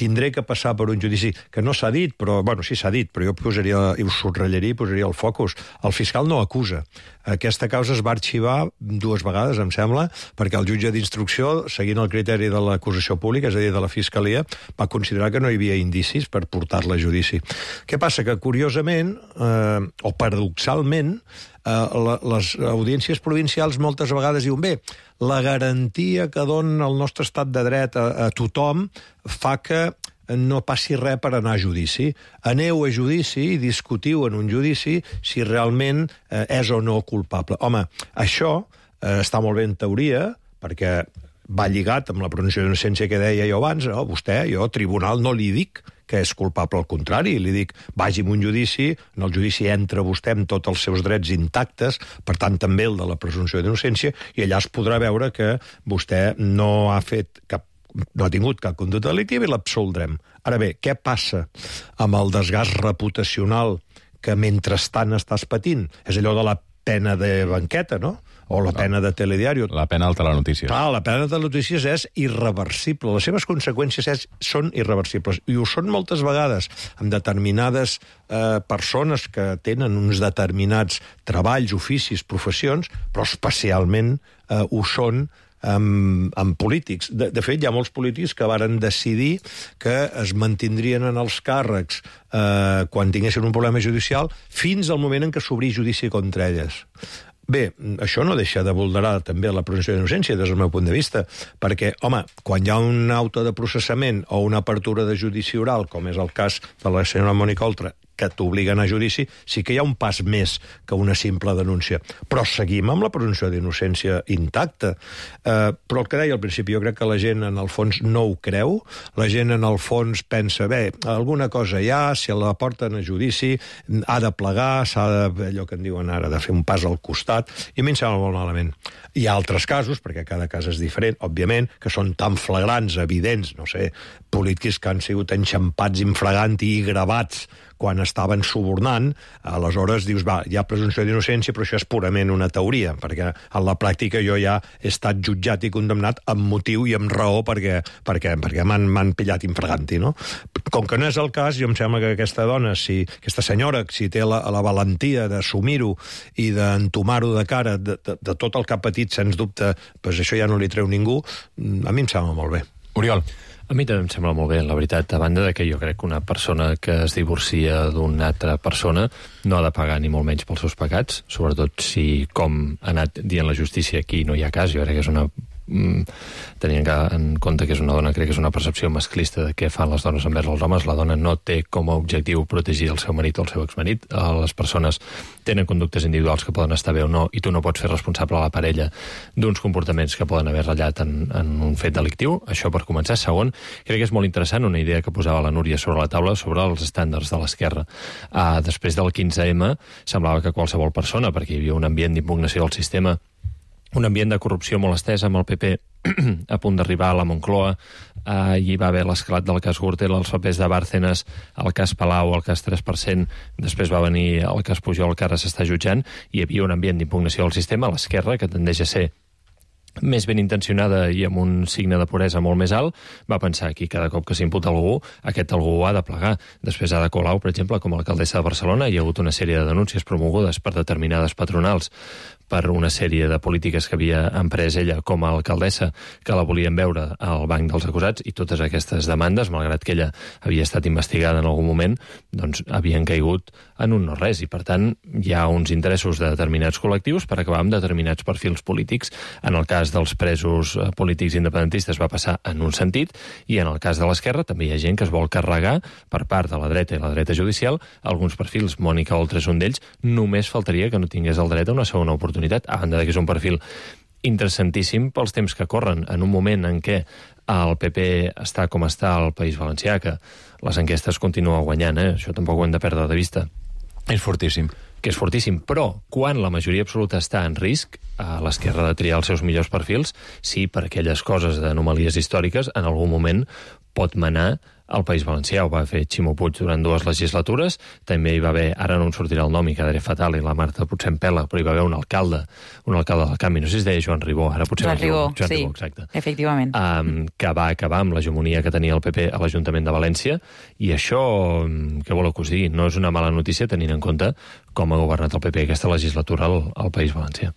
Speaker 5: tindré que passar per un judici que no s'ha dit, però, bueno, sí s'ha dit, però jo posaria, i ho subratllaria i posaria el focus. El fiscal no acusa. Aquesta causa es va arxivar dues vegades, em sembla, perquè el jutge d'instrucció, seguint el criteri de l'acusació pública, és a dir, de la fiscalia, va considerar que no hi havia indicis per portar-la a judici. Què passa? Que, curiosament, eh, o paradoxalment, eh, la, les audiències provincials moltes vegades diuen, bé, la garantia que dona el nostre estat de dret a, a tothom fa que no passi res per anar a judici. Aneu a judici i discutiu en un judici si realment eh, és o no culpable. Home, això eh, està molt bé en teoria, perquè va lligat amb la presumpció d'innocència que deia jo abans, no? Vostè, jo, tribunal, no li dic que és culpable, al contrari, li dic, vagi a un judici, en el judici entra vostè amb tots els seus drets intactes, per tant també el de la presumpció d'innocència, i allà es podrà veure que vostè no ha fet cap no ha tingut cap conducta delictiva i l'absoldrem. Ara bé, què passa amb el desgast reputacional que mentrestant estàs patint? És allò de la pena de banqueta, no? O la pena de telediario.
Speaker 1: La pena de telenotícies.
Speaker 5: Clar, la pena de telenotícies és irreversible. Les seves conseqüències és, són irreversibles. I ho són moltes vegades amb determinades eh, persones que tenen uns determinats treballs, oficis, professions, però especialment eh, ho són amb, amb polítics. De, de fet, hi ha molts polítics que varen decidir que es mantindrien en els càrrecs eh, quan tinguessin un problema judicial fins al moment en què s'obrí judici contra elles. Bé, això no deixa de vulnerar també la presumpció d'innocència des del meu punt de vista, perquè, home, quan hi ha un auto de processament o una apertura de judici oral, com és el cas de la senyora Mònica Oltra, que t'obliguen a judici, sí que hi ha un pas més que una simple denúncia. Però seguim amb la presumpció d'innocència intacta. Eh, però el que deia al principi, jo crec que la gent en el fons no ho creu, la gent en el fons pensa, bé, alguna cosa hi ha, si la porten a judici, ha de plegar, s'ha de, allò que en diuen ara, de fer un pas al costat, i a mi em sembla molt malament. Hi ha altres casos, perquè cada cas és diferent, òbviament, que són tan flagrants, evidents, no sé, polítics que han sigut enxampats infraganti i gravats quan estaven subornant, aleshores dius, va, hi ha presumpció d'innocència, però això és purament una teoria, perquè en la pràctica jo ja he estat jutjat i condemnat amb motiu i amb raó perquè, perquè, perquè m'han pillat infraganti, no? Com que no és el cas, jo em sembla que aquesta dona, si, aquesta senyora, si té la, la valentia d'assumir-ho i d'entomar-ho de cara de, de, de tot el que ha patit, sens dubte, doncs això ja no li treu ningú, a mi em sembla molt bé.
Speaker 1: Oriol.
Speaker 3: A mi també em sembla molt bé, la veritat, a banda de que jo crec que una persona que es divorcia d'una altra persona no ha de pagar ni molt menys pels seus pecats, sobretot si, com ha anat dient la justícia, aquí no hi ha cas, jo crec que és una mm, tenint en compte que és una dona, crec que és una percepció masclista de què fan les dones envers els homes. La dona no té com a objectiu protegir el seu marit o el seu exmarit. Les persones tenen conductes individuals que poden estar bé o no, i tu no pots fer responsable a la parella d'uns comportaments que poden haver ratllat en, en un fet delictiu. Això per començar. Segon, crec que és molt interessant una idea que posava la Núria sobre la taula sobre els estàndards de l'esquerra. Uh, després del quinze eme semblava que qualsevol persona, perquè hi havia un ambient d'impugnació del sistema, un ambient de corrupció molt estès amb el P P a punt d'arribar a la Moncloa, eh, hi va haver l'esclat del cas Gürtel, els papers de Bárcenas, el cas Palau, el cas tres per cent, després va venir el cas Pujol, que ara s'està jutjant, i hi havia un ambient d'impugnació del sistema a l'esquerra, que tendeix a ser més ben intencionada i amb un signe de puresa molt més alt, va pensar que cada cop que s'imputa algú, aquest algú ha de plegar. Després Ada Colau, per exemple, com a alcaldessa de Barcelona, hi ha hagut una sèrie de denúncies promogudes per determinades patronals per una sèrie de polítiques que havia emprès ella com a alcaldessa, que la volien veure al banc dels acusats, i totes aquestes demandes, malgrat que ella havia estat investigada en algun moment, doncs havien caigut en un no-res, i per tant hi ha uns interessos de determinats col·lectius per acabar amb determinats perfils polítics. En el cas dels presos polítics independentistes va passar en un sentit, i en el cas de l'esquerra també hi ha gent que es vol carregar per part de la dreta i la dreta judicial alguns perfils. Mònica Oltra és un d'ells. Només faltaria que no tingués el dret a una segona oportunitat, a banda que és un perfil interessantíssim pels temps que corren, en un moment en què el P P està com està al País Valencià, que les enquestes continuen guanyant, eh? Això tampoc ho hem de perdre de vista.
Speaker 1: És fortíssim.
Speaker 3: Que és fortíssim, però quan la majoria absoluta està en risc, a l'esquerra de triar els seus millors perfils, sí, per aquelles coses d'anomalies històriques, en algun moment pot manar al País Valencià. Ho va fer Ximo Puig durant dues legislatures, també hi va haver, ara no em sortirà el nom i quedaré fatal, i la Marta potser em pela, però hi va haver un alcalde, un alcalde del canvi, no sé si es deia Joan Ribó, ara potser
Speaker 7: Joan Ribó,
Speaker 3: Joan
Speaker 7: sí,
Speaker 3: Ribó, exacte.
Speaker 7: Efectivament.
Speaker 3: Um, que va acabar amb l'hegemonia que tenia el P P a l'Ajuntament de València, i això, què voleu que us digui, no és una mala notícia tenint en compte com ha governat el P P aquesta legislatura al, al País Valencià.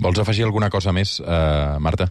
Speaker 1: Vols afegir alguna cosa més, eh, Marta?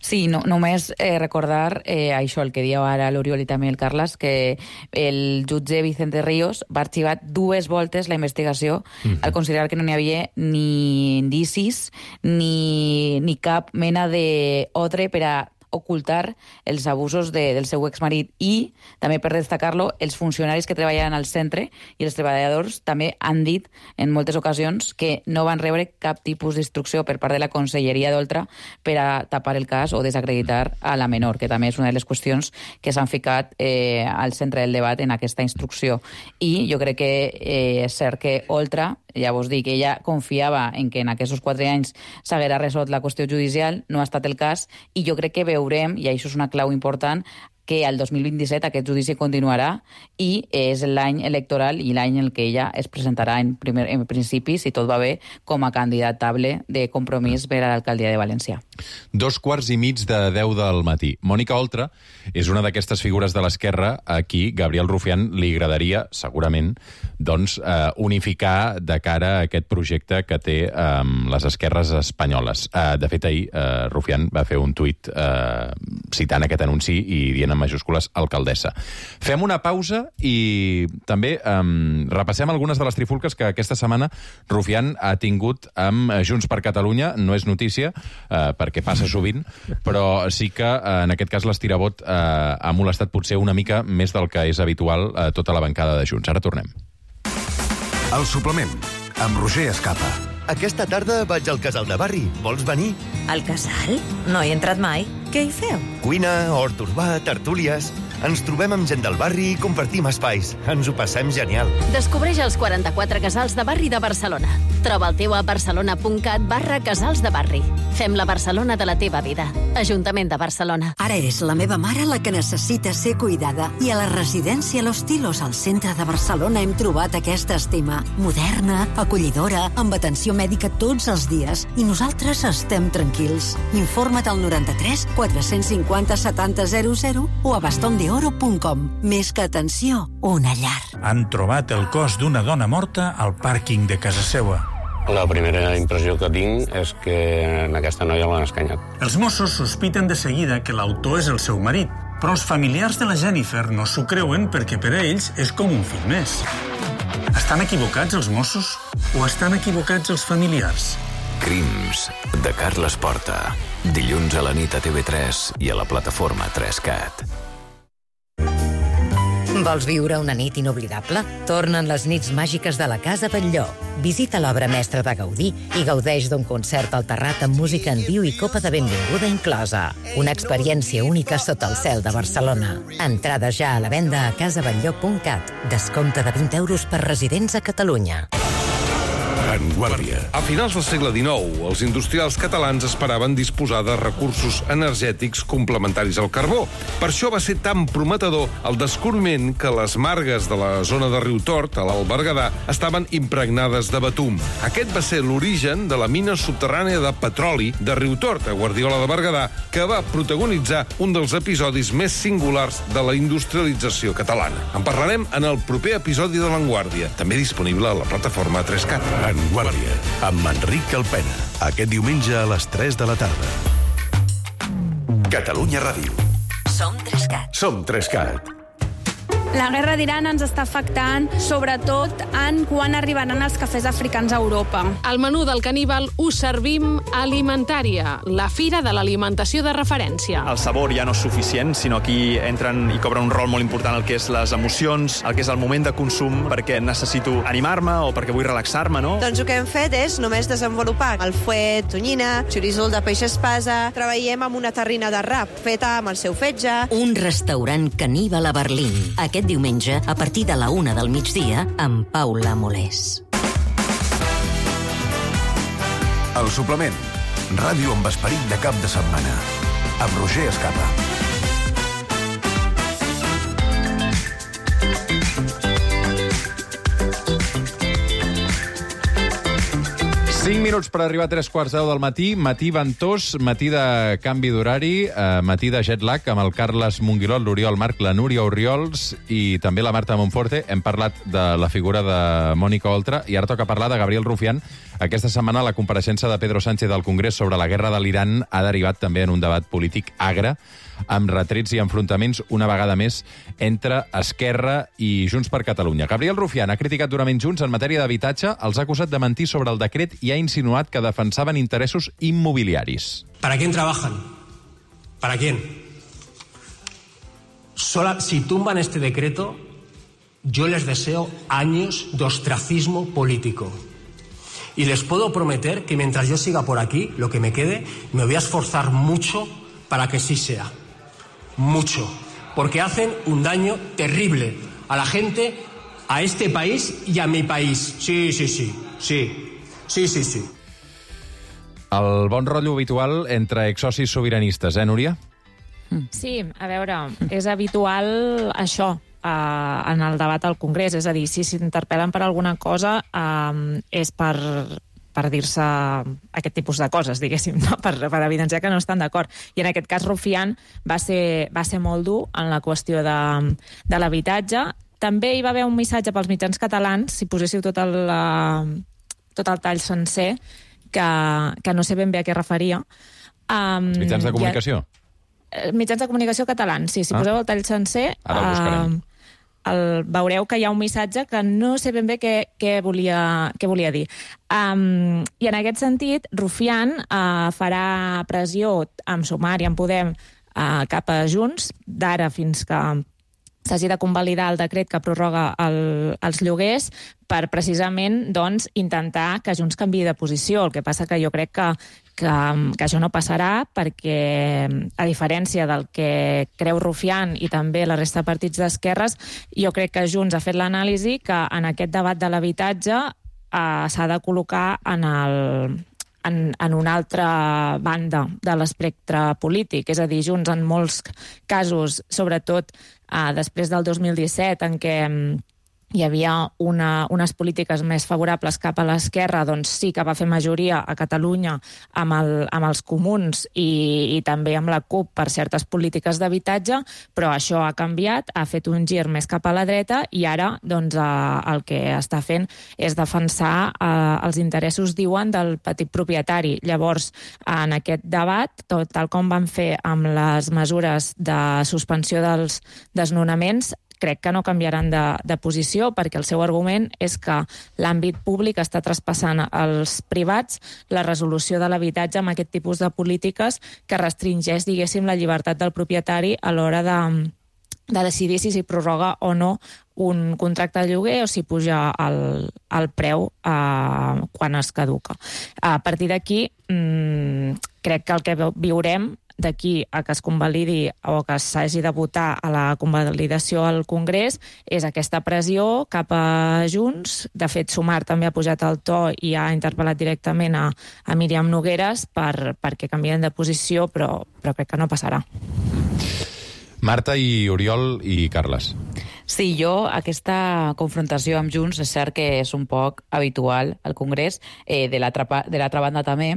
Speaker 7: Sí, no, només eh, recordar eh, això, el que dieu ara l'Oriol i també el Carles, que el jutge Vicente Ríos va arxivar dues voltes la investigació mm-hmm. al considerar que no n'hi havia ni indicis ni, ni cap mena d'ordre per a ocultar els abusos de, del seu exmarit, i també per destacar-lo, els funcionaris que treballen al centre i els treballadors també han dit en moltes ocasions que no van rebre cap tipus d'instrucció per part de la Conselleria d'Oltra per a tapar el cas o desacreditar a la menor, que també és una de les qüestions que s'han ficat eh, al centre del debat en aquesta instrucció. I jo crec que eh, és cert que Oltra, ja vos dic, ella confiava en que en aquests quatre anys s'haguera resolt la qüestió judicial, no ha estat el cas, i jo crec que veurem, i això és una clau important, que al dos mil vint-i-set aquest judici continuarà i és l'any electoral i l'any en què ella es presentarà en, primer, en principi, si tot va bé, com a candidatable de Compromís per a l'alcaldia de València.
Speaker 1: Dos quarts i mig de deu del matí. Mònica Oltra és una d'aquestes figures de l'esquerra a qui Gabriel Rufián li agradaria, segurament, doncs, eh, unificar de cara a aquest projecte que té eh, les esquerres espanyoles. Eh, de fet, ahir eh, Rufián va fer un tuit eh, citant aquest anunci i dient en majúscules alcaldessa. Fem una pausa i també um, repassem algunes de les trifulques que aquesta setmana Rufián ha tingut amb Junts per Catalunya. No és notícia, uh, perquè passa sovint, però sí que uh, en aquest cas l'estirabot uh, ha molestat potser una mica més del que és habitual a uh, tota la bancada de Junts. Ara tornem.
Speaker 2: El suplement, amb Roger Escapa.
Speaker 9: Aquesta tarda vaig al casal de barri. Vols venir?
Speaker 10: Al casal? No hi he entrat mai. Què hi feu?
Speaker 9: Cuina, hort urbà, tertúlies... Ens trobem amb gent del barri i compartim espais. Ens ho passem genial.
Speaker 11: Descobreix els quaranta-quatre casals de barri de Barcelona. Troba el teu a barcelona.cat barra casals de barri. Fem la Barcelona de la teva vida. Ajuntament de Barcelona.
Speaker 10: Ara eres la meva mare la que necessita ser cuidada. I a la residència Los Tilos, al centre de Barcelona, hem trobat aquesta estima. Moderna, acollidora, amb atenció mèdica tots els dies. I nosaltres estem tranquils. Informa't al noranta-tres quatre-cents cinquanta setanta zero zero o a bastonde oro punt com. Més que atenció, una llar.
Speaker 12: Han trobat el cos d'una dona morta al pàrquing de casa seva.
Speaker 13: La primera impressió que tinc és que en aquesta noia l'han escanyat.
Speaker 12: Els Mossos sospiten de seguida que l'autor és el seu marit, però els familiars de la Jennifer no s'ho creuen perquè per a ells és com un fill més. Estan equivocats els Mossos o estan equivocats els familiars?
Speaker 14: Crims, de Carles Porta. Dilluns a la nit a T V tres i a la plataforma tres cat.
Speaker 15: Vols viure una nit inoblidable? Tornen les nits màgiques de la Casa Batlló. Visita l'obra mestra de Gaudí i gaudeix d'un concert al terrat amb música en viu i copa de benvinguda inclosa. Una experiència única sota el cel de Barcelona. Entrada ja a la venda a casa batlló punt cat. Descompte de vint euros per residents a Catalunya.
Speaker 16: En Guàrdia. A finals del segle dinou, els industrials catalans esperaven disposar de recursos energètics complementaris al carbó. Per això va ser tan prometedor el descobriment que les margues de la zona de Riutort, a l'Alt Berguedà, estaven impregnades de betum. Aquest va ser l'origen de la mina subterrània de petroli de Riutort, a Guardiola de Berguedà, que va protagonitzar un dels episodis més singulars de la industrialització catalana. En parlarem en el proper episodi de l'Enguàrdia, també disponible a la plataforma tres cat.
Speaker 2: En Guàrdia, amb Enric Calpena. Aquest diumenge a les tres de la tarda. Catalunya Ràdio.
Speaker 15: Som tres cat.
Speaker 2: Som tres cat.
Speaker 17: La guerra d'Iran ens està afectant, sobretot en quan arribaran els cafès africans a Europa.
Speaker 18: Al menú del caníbal us servim Alimentària, la fira de l'alimentació de referència.
Speaker 19: El sabor ja no és suficient, sinó aquí entren i cobren un rol molt important el que és les emocions, el que és el moment de consum, perquè necessito animar-me o perquè vull relaxar-me, no?
Speaker 20: Doncs el que hem fet és només desenvolupar el fuet, tonyina, xoriçol de peix espasa, treballem amb una terrina de rap feta amb el seu fetge.
Speaker 15: Un restaurant caníbal a Berlín. Aquest diumenge, a partir de la una del migdia, amb Paula Molés.
Speaker 2: El suplement. Ràdio amb esperit de cap de setmana. Amb Roger Escapa.
Speaker 1: cinc minuts per arribar a tres quarts deu del matí, matí ventós, matí de canvi d'horari, eh, matí de jet lag amb el Carles Monguilol, l'Oriol Marc, la Núria Oriols i també la Marta Monforte. Hem parlat de la figura de Mònica Oltra i ara toca parlar de Gabriel Rufián. Aquesta setmana la compareixença de Pedro Sánchez al Congrés sobre la guerra de l'Iran ha derivat també en un debat polític agre, amb retrets i enfrontaments una vegada més entre Esquerra i Junts per Catalunya. Gabriel Rufián ha criticat durament Junts en matèria d'habitatge, els ha acusat de mentir sobre el decret i ha insinuat que defensaven interessos immobiliaris.
Speaker 21: ¿Para quién trabajan? ¿Para quién? Sola, si tumban este decreto, yo les deseo años de ostracismo político. Y les puedo prometer que mientras yo siga por aquí, lo que me quede, me voy a esforzar mucho para que sí sea. Mucho. Porque hacen un daño terrible a la gente, a este país y a mi país. Sí, sí, sí. Sí. Sí, sí, sí.
Speaker 1: El bon rotllo habitual entre exsocis sobiranistes, eh, Núria?
Speaker 6: Sí, a veure, és habitual això eh, en el debat al Congrés. És a dir, si s'interpel·len per alguna cosa eh, és per, per dir-se aquest tipus de coses, diguéssim, no? per, per evidenciar que no estan d'acord. I en aquest cas Rufián va ser, va ser molt dur en la qüestió de, de l'habitatge. També hi va haver un missatge pels mitjans catalans, si poséssiu tot el... Uh, tot el tall sencer, que, que no sé ben bé a què referia. Um,
Speaker 1: mitjans de comunicació?
Speaker 6: Ha, mitjans de comunicació catalans, sí. Si ah. poseu el tall sencer,
Speaker 1: Ara el buscarem.
Speaker 6: Uh, el, veureu que hi ha un missatge que no sé ben bé què, què, volia, què volia dir. Um, I en aquest sentit, Rufián uh, farà pressió amb Sumar i amb Podem uh, cap a Junts, d'ara fins que s'hagi de convalidar el decret que prorroga el, els lloguers per precisament doncs, intentar que Junts canviï de posició. El que passa que jo crec que, que, que això no passarà perquè, a diferència del que creu Rufián i també la resta de partits d'esquerres, jo crec que Junts ha fet l'anàlisi que en aquest debat de l'habitatge eh, s'ha de col·locar en el... En, en una altra banda de l'espectre polític. És a dir, Junts en molts casos, sobretot eh, després del dos mil disset, en què hi havia una, unes polítiques més favorables cap a l'esquerra, doncs sí que va fer majoria a Catalunya amb, el, amb els comuns i, i també amb la CUP per certes polítiques d'habitatge, però això ha canviat, ha fet un gir més cap a la dreta i ara doncs, eh, el que està fent és defensar eh, els interessos, diuen, del petit propietari. Llavors, en aquest debat, tot tal com van fer amb les mesures de suspensió dels desnonaments, crec que no canviaran de, de posició, perquè el seu argument és que l'àmbit públic està traspassant als privats la resolució de l'habitatge amb aquest tipus de polítiques que restringeix, diguéssim, la llibertat del propietari a l'hora de, de decidir si s'hi prorroga o no un contracte de lloguer o si puja el, el preu eh, quan es caduca. A partir d'aquí, mmm, crec que el que viurem d'aquí a que es convalidi o que s'hagi de votar a la convalidació al Congrés és aquesta pressió cap a Junts. De fet, Sumar també ha pujat el to i ha interpel·lat directament a, a Míriam Nogueras per, perquè canvien de posició, però, però crec que no passarà.
Speaker 1: Marta i Oriol i Carles.
Speaker 7: Sí, jo, aquesta confrontació amb Junts és cert que és un poc habitual al Congrés, eh, de l'altra banda també,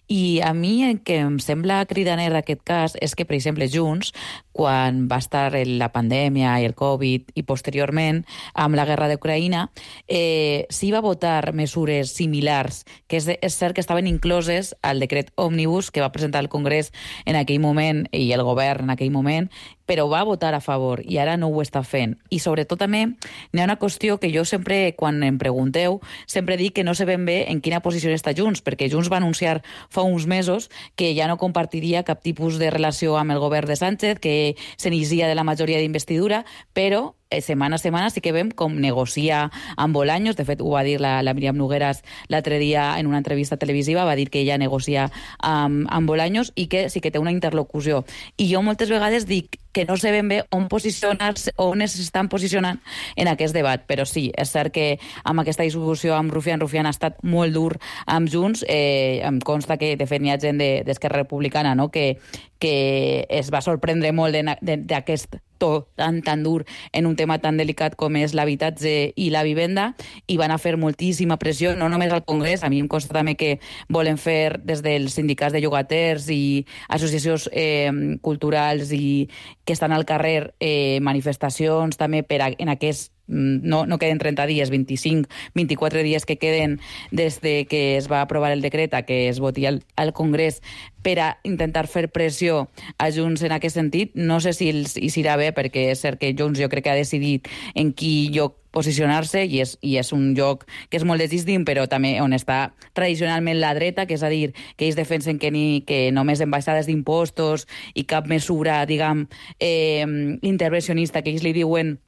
Speaker 7: i a mi el que em sembla cridaner d'aquest cas és que, per exemple, Junts, quan va estar la pandèmia i el Covid i posteriorment amb la guerra d'Ucraïna, eh, sí va votar mesures similars, que és, és cert que estaven incloses al decret Òmnibus que va presentar el Congrés en aquell moment i el govern en aquell moment, però va votar a favor i ara no ho està fent. I sobretot també n'hi ha una qüestió que jo sempre, quan em pregunteu, sempre dic que no sé ben bé en quina posició està Junts, perquè Junts va anunciar fa uns mesos que ja no compartiria cap tipus de relació amb el govern de Sánchez, que s'inicia de la majoria d'investidura, però setmana a setmana sí que veiem com negocia amb Bolaños. De fet, ho va dir la, la Míriam Nogueras l'altre dia en una entrevista televisiva, va dir que ella negocia amb, amb Bolaños i que sí que té una interlocució. I jo moltes vegades dic que no sé ben bé on posicionar-se, on s'estan posicionant en aquest debat, però sí, és cert que amb aquesta discussió amb Rufián, Rufián ha estat molt dur amb Junts, eh, em consta que de fet n'hi ha gent d'Esquerra Republicana, no?, que, que es va sorprendre molt d'aquest to tan, tan dur en un tema tan delicat com és l'habitatge i la vivenda, i van a fer moltíssima pressió, no només al Congrés, a mi em consta també que volen fer des dels sindicats de llogaters i associacions eh, culturals i que estan al carrer eh, manifestacions també per a, en aquest No, no queden trenta dies, vint-i-cinc, vint-i-quatre dies que queden des de que es va aprovar el decret a que es voti al, al Congrés per a intentar fer pressió a Junts en aquest sentit. No sé si els hi irà bé, perquè és cert que Junts jo crec que ha decidit en qui lloc posicionar-se i és, i és un lloc que és molt desdistint, però també on està tradicionalment la dreta, que és a dir, que ells defensen que, ni, que només en baixades d'impostos i cap mesura, diguem, eh, intervencionista, que ells li diuen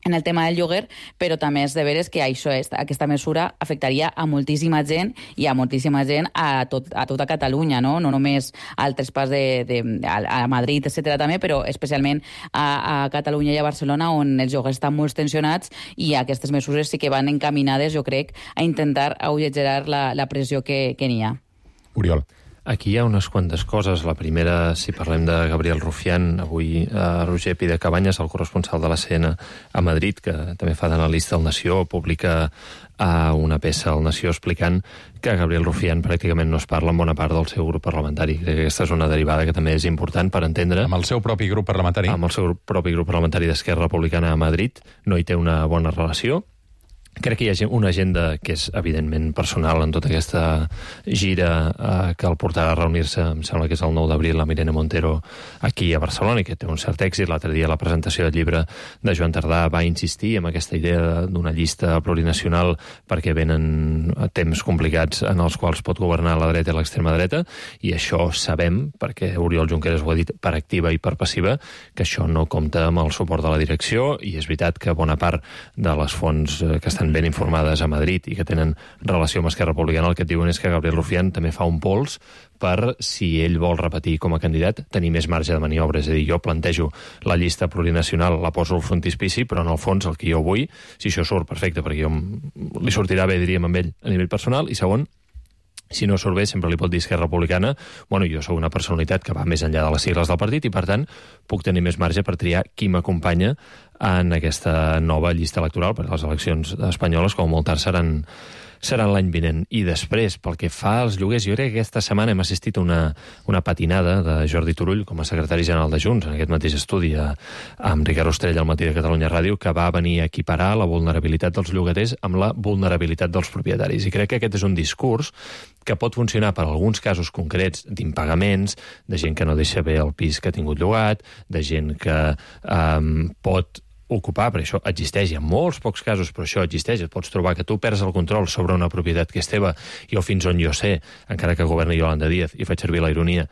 Speaker 7: en el tema del lloguer, però també és de veres que això és, aquesta mesura afectaria a moltíssima gent i a moltíssima gent a, tot, a tota Catalunya, no? No només al traspàs de, de, a, a Madrid, etcètera també, però especialment a, a Catalunya i a Barcelona, on els lloguers estan molt tensionats, i aquestes mesures sí que van encaminades, jo crec, a intentar alleugerar la, la pressió que, que n'hi ha.
Speaker 1: Oriol.
Speaker 3: Aquí hi ha unes quantes coses. La primera, si parlem de Gabriel Rufián, avui a Roger Pi de Cabanyes, el corresponsal de la C N a Madrid, que també fa d'analista al Nació, publica a una peça al Nació explicant que Gabriel Rufián pràcticament no es parla en bona part del seu grup parlamentari. Crec que aquesta és una derivada que també és important per entendre.
Speaker 1: Amb el seu propi grup parlamentari?
Speaker 3: Amb el seu propi grup parlamentari d'Esquerra Republicana a Madrid no hi té una bona relació. Crec que hi ha una agenda que és evidentment personal en tota aquesta gira eh, que el portarà a reunir-se, em sembla que és el nou d'abril, la Irene Montero aquí a Barcelona, i que té un cert èxit. L'altre dia la presentació del llibre de Joan Tardà va insistir en aquesta idea d'una llista plurinacional perquè venen temps complicats en els quals pot governar la dreta i l'extrema dreta, i això sabem, perquè Oriol Junqueras ho ha dit per activa i per passiva, que això no compta amb el suport de la direcció, i és veritat que bona part de les fonts que estan ben informades a Madrid i que tenen relació amb Esquerra Republicana, el que et diuen és que Gabriel Rufián també fa un pols per, si ell vol repetir com a candidat, tenir més marge de maniobra. És a dir, jo plantejo la llista plurinacional, la poso al frontispici, però en el fons el que jo vull, si això surt perfecte, perquè jo li sortirà bé, diríem, amb ell a nivell personal, i segon, si no surt bé, sempre li pot dir Esquerra Republicana, bueno, jo sóc una personalitat que va més enllà de les sigles del partit i, per tant, puc tenir més marge per triar qui m'acompanya en aquesta nova llista electoral, perquè les eleccions espanyoles, com molt tard, seran, seran l'any vinent. I després, pel que fa als lloguers, jo crec que aquesta setmana hem assistit a una, una patinada de Jordi Turull com a secretari general de Junts, en aquest mateix estudi a, amb Ricard Ostrell al Matí de Catalunya Ràdio, que va venir a equiparar la vulnerabilitat dels llogaters amb la vulnerabilitat dels propietaris. I crec que aquest és un discurs que pot funcionar per alguns casos concrets d'impagaments, de gent que no deixa bé el pis que ha tingut llogat, de gent que um, pot ocupar, perquè això existeix, hi ha molts pocs casos, però això existeix, et pots trobar que tu perds el control sobre una propietat que és teva, jo fins on jo sé, encara que governi Yolanda Díaz, i faig servir la ironia,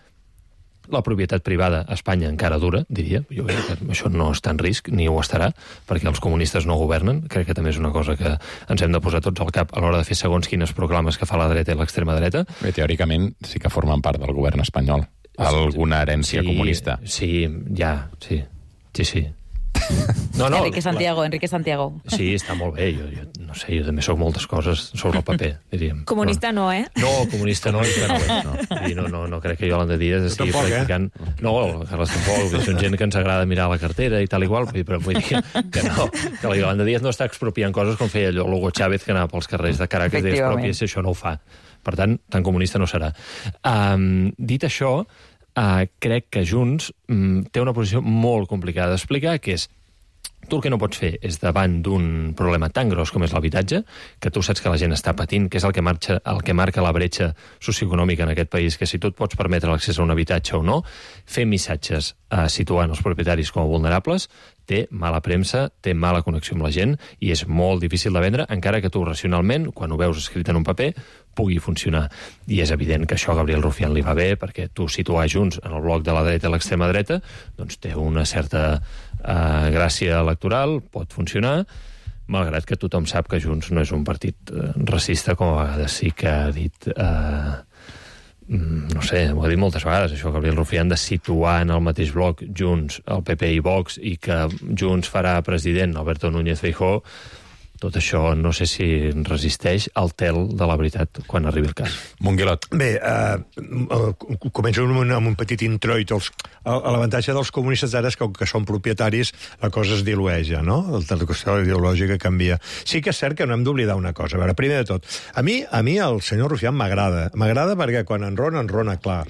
Speaker 3: la propietat privada a Espanya encara dura, diria. Jo crec que això no està en risc, ni ho estarà, perquè els comunistes no governen. Crec que també és una cosa que ens hem de posar tots al cap a l'hora de fer segons quines proclames que fa la dreta i l'extrema dreta.
Speaker 1: Bé, teòricament sí que formen part del govern espanyol. Alguna herència
Speaker 3: sí,
Speaker 1: comunista.
Speaker 3: Sí, ja, sí. Sí, sí. No, no,
Speaker 7: Enrique Santiago, Enrique Santiago.
Speaker 3: Sí, està molt bé. Jo, jo no sé, jo també soc moltes coses sobre el paper, diríem.
Speaker 6: Comunista no, eh?
Speaker 3: No, comunista no, i no, no. I no, no, no crec que Yolanda Díaz estigui
Speaker 5: tampoc,
Speaker 3: practicant... Eh? No, Carles tampoc, són gent que ens agrada mirar la cartera i tal igual, però vull dir que no, que la Yolanda Díaz no està expropiant coses com feia allò Hugo Chávez, que anava pels carrers de Caracas i deia expropia, si això no ho fa. Per tant, tan comunista no serà. Um, dit això, uh, crec que Junts um, té una posició molt complicada d'explicar, que és tu el que no pots fer és davant d'un problema tan gros com és l'habitatge, que tu saps que la gent està patint, que és el que, marxa, el que marca la bretxa socioeconòmica en aquest país, que si tu et pots permetre l'accés a un habitatge o no, fer missatges eh, situant els propietaris com a vulnerables, té mala premsa, té mala connexió amb la gent i és molt difícil de vendre, encara que tu racionalment, quan ho veus escrit en un paper, pugui funcionar. I és evident que això a Gabriel Rufián li va bé, perquè tu situar Junts en el bloc de la dreta i l'extrema dreta doncs té una certa eh, gràcia electoral, pot funcionar, malgrat que tothom sap que Junts no és un partit eh, racista, com a vegades sí que ha dit... Eh, no sé, ho ha dit moltes vegades, això, Gabriel Rufián, de situar en el mateix bloc Junts, el P P i Vox, i que Junts farà president Alberto Núñez Feijóo, tot això no sé si resisteix al tel de la veritat quan arribi el cas.
Speaker 1: Monguilot.
Speaker 5: Bé, uh, començo amb un, amb un petit introit. Els, l'avantatge dels comunistes ara és que, que són propietaris, la cosa es dilueja, no? La qüestió ideològica canvia. Sí que és cert que no hem d'oblidar una cosa. A veure, primer de tot, a mi, a mi el senyor Rufián m'agrada. M'agrada perquè quan enrona, enrona clar.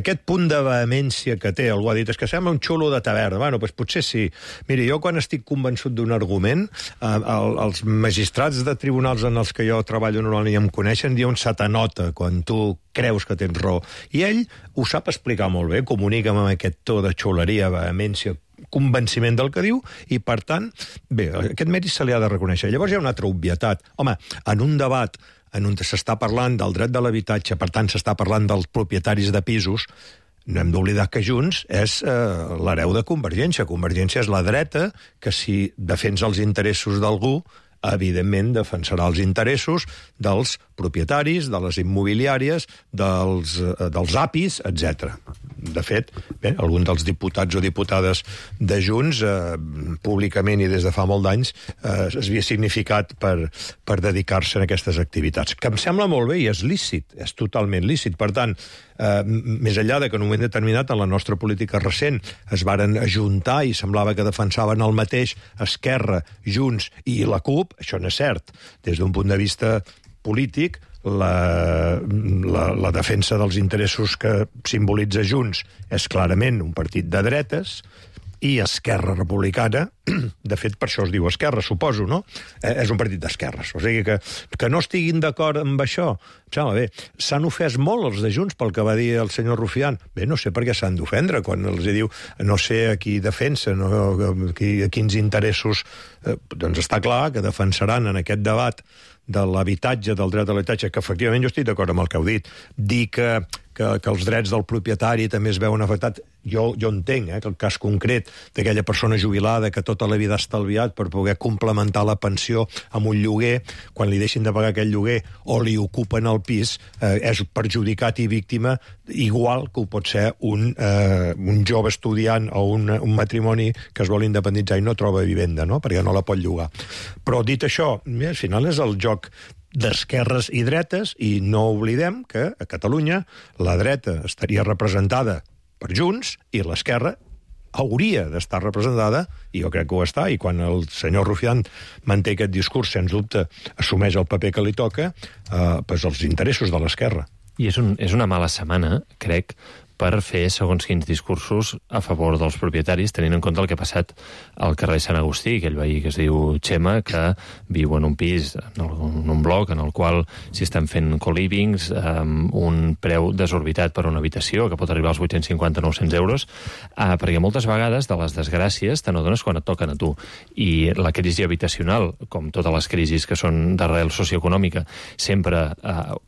Speaker 5: Aquest punt de vehemència que té, algú ha dit, és que sembla un xulo de taverna. Bueno, doncs potser sí. Miri, jo quan estic convençut d'un argument, eh, el, els magistrats de tribunals en els que jo treballo normalment i em coneixen, diuen se t'anota quan tu creus que tens raó. I ell ho sap explicar molt bé, comunica amb aquest to de xuleria, vehemència, convenciment del que diu, i per tant, bé, aquest mèrit se li ha de reconèixer. Llavors hi ha una altra obvietat. Home, en un debat en on s'està parlant del dret de l'habitatge, per tant s'està parlant dels propietaris de pisos, no hem d'oblidar que Junts és eh, l'hereu de Convergència. Convergència és la dreta que si defensa els interessos d'algú, evidentment defensarà els interessos dels propietaris, de les immobiliàries, dels, eh, dels apis, etcètera. De fet, bé, alguns dels diputats o diputades de Junts, eh, públicament i des de fa molt d'anys, eh, es havia significat per, per dedicar-se a aquestes activitats. Que em sembla molt bé i és lícit, és totalment lícit. Per tant, eh, més enllà de que en un moment determinat en la nostra política recent es varen ajuntar i semblava que defensaven el mateix Esquerra, Junts i la CUP, això no és cert. Des d'un punt de vista polític, la, la, la defensa dels interessos que simbolitza Junts és clarament un partit de dretes, i Esquerra Republicana, de fet per això es diu Esquerra, suposo, no? Eh, és un partit d'esquerres. O sigui que, que no estiguin d'acord amb això, em sembla bé. S'han ofès molt els de Junts pel que va dir el senyor Rufián. Bé, no sé per què s'han d'ofendre quan els diu no sé a qui defensa, no, a, qui, a quins interessos. Eh, doncs està clar que defensaran en aquest debat de l'habitatge, del dret a l'habitatge, que efectivament jo estic d'acord amb el que heu dit. Dir que, que, que els drets del propietari també es veuen afectats, jo, jo entenc, eh, que el cas concret d'aquella persona jubilada que tota la vida ha estalviat per poder complementar la pensió amb un lloguer, quan li deixin de pagar aquell lloguer o li ocupen el pis, eh, és perjudicat i víctima igual que ho pot ser un, eh, un jove estudiant o un, un matrimoni que es vol independitzar i no troba vivenda, no?, perquè no la pot llogar. Però dit això, al final és el joc d'esquerres i dretes, i no oblidem que a Catalunya la dreta estaria representada per Junts i l'esquerra hauria d'estar representada, i jo crec que ho està, i quan el senyor Rufián manté aquest discurs, sens dubte, assumeix el paper que li toca, eh, pues els interessos de l'esquerra.
Speaker 3: I és, un, és una mala setmana, crec, per fer segons quins discursos a favor dels propietaris, tenint en compte el que ha passat al carrer Sant Agustí, aquell veí que es diu Xema, que viu en un pis, en un bloc, en el qual s'hi estan fent co-livings, amb un preu desorbitat per una habitació, que pot arribar als vuit-cents cinquanta a nou-cents euros, eh, perquè moltes vegades de les desgràcies te n'adones quan et toquen a tu. I la crisi habitacional, com totes les crisis que són d'arrel socioeconòmica, sempre eh,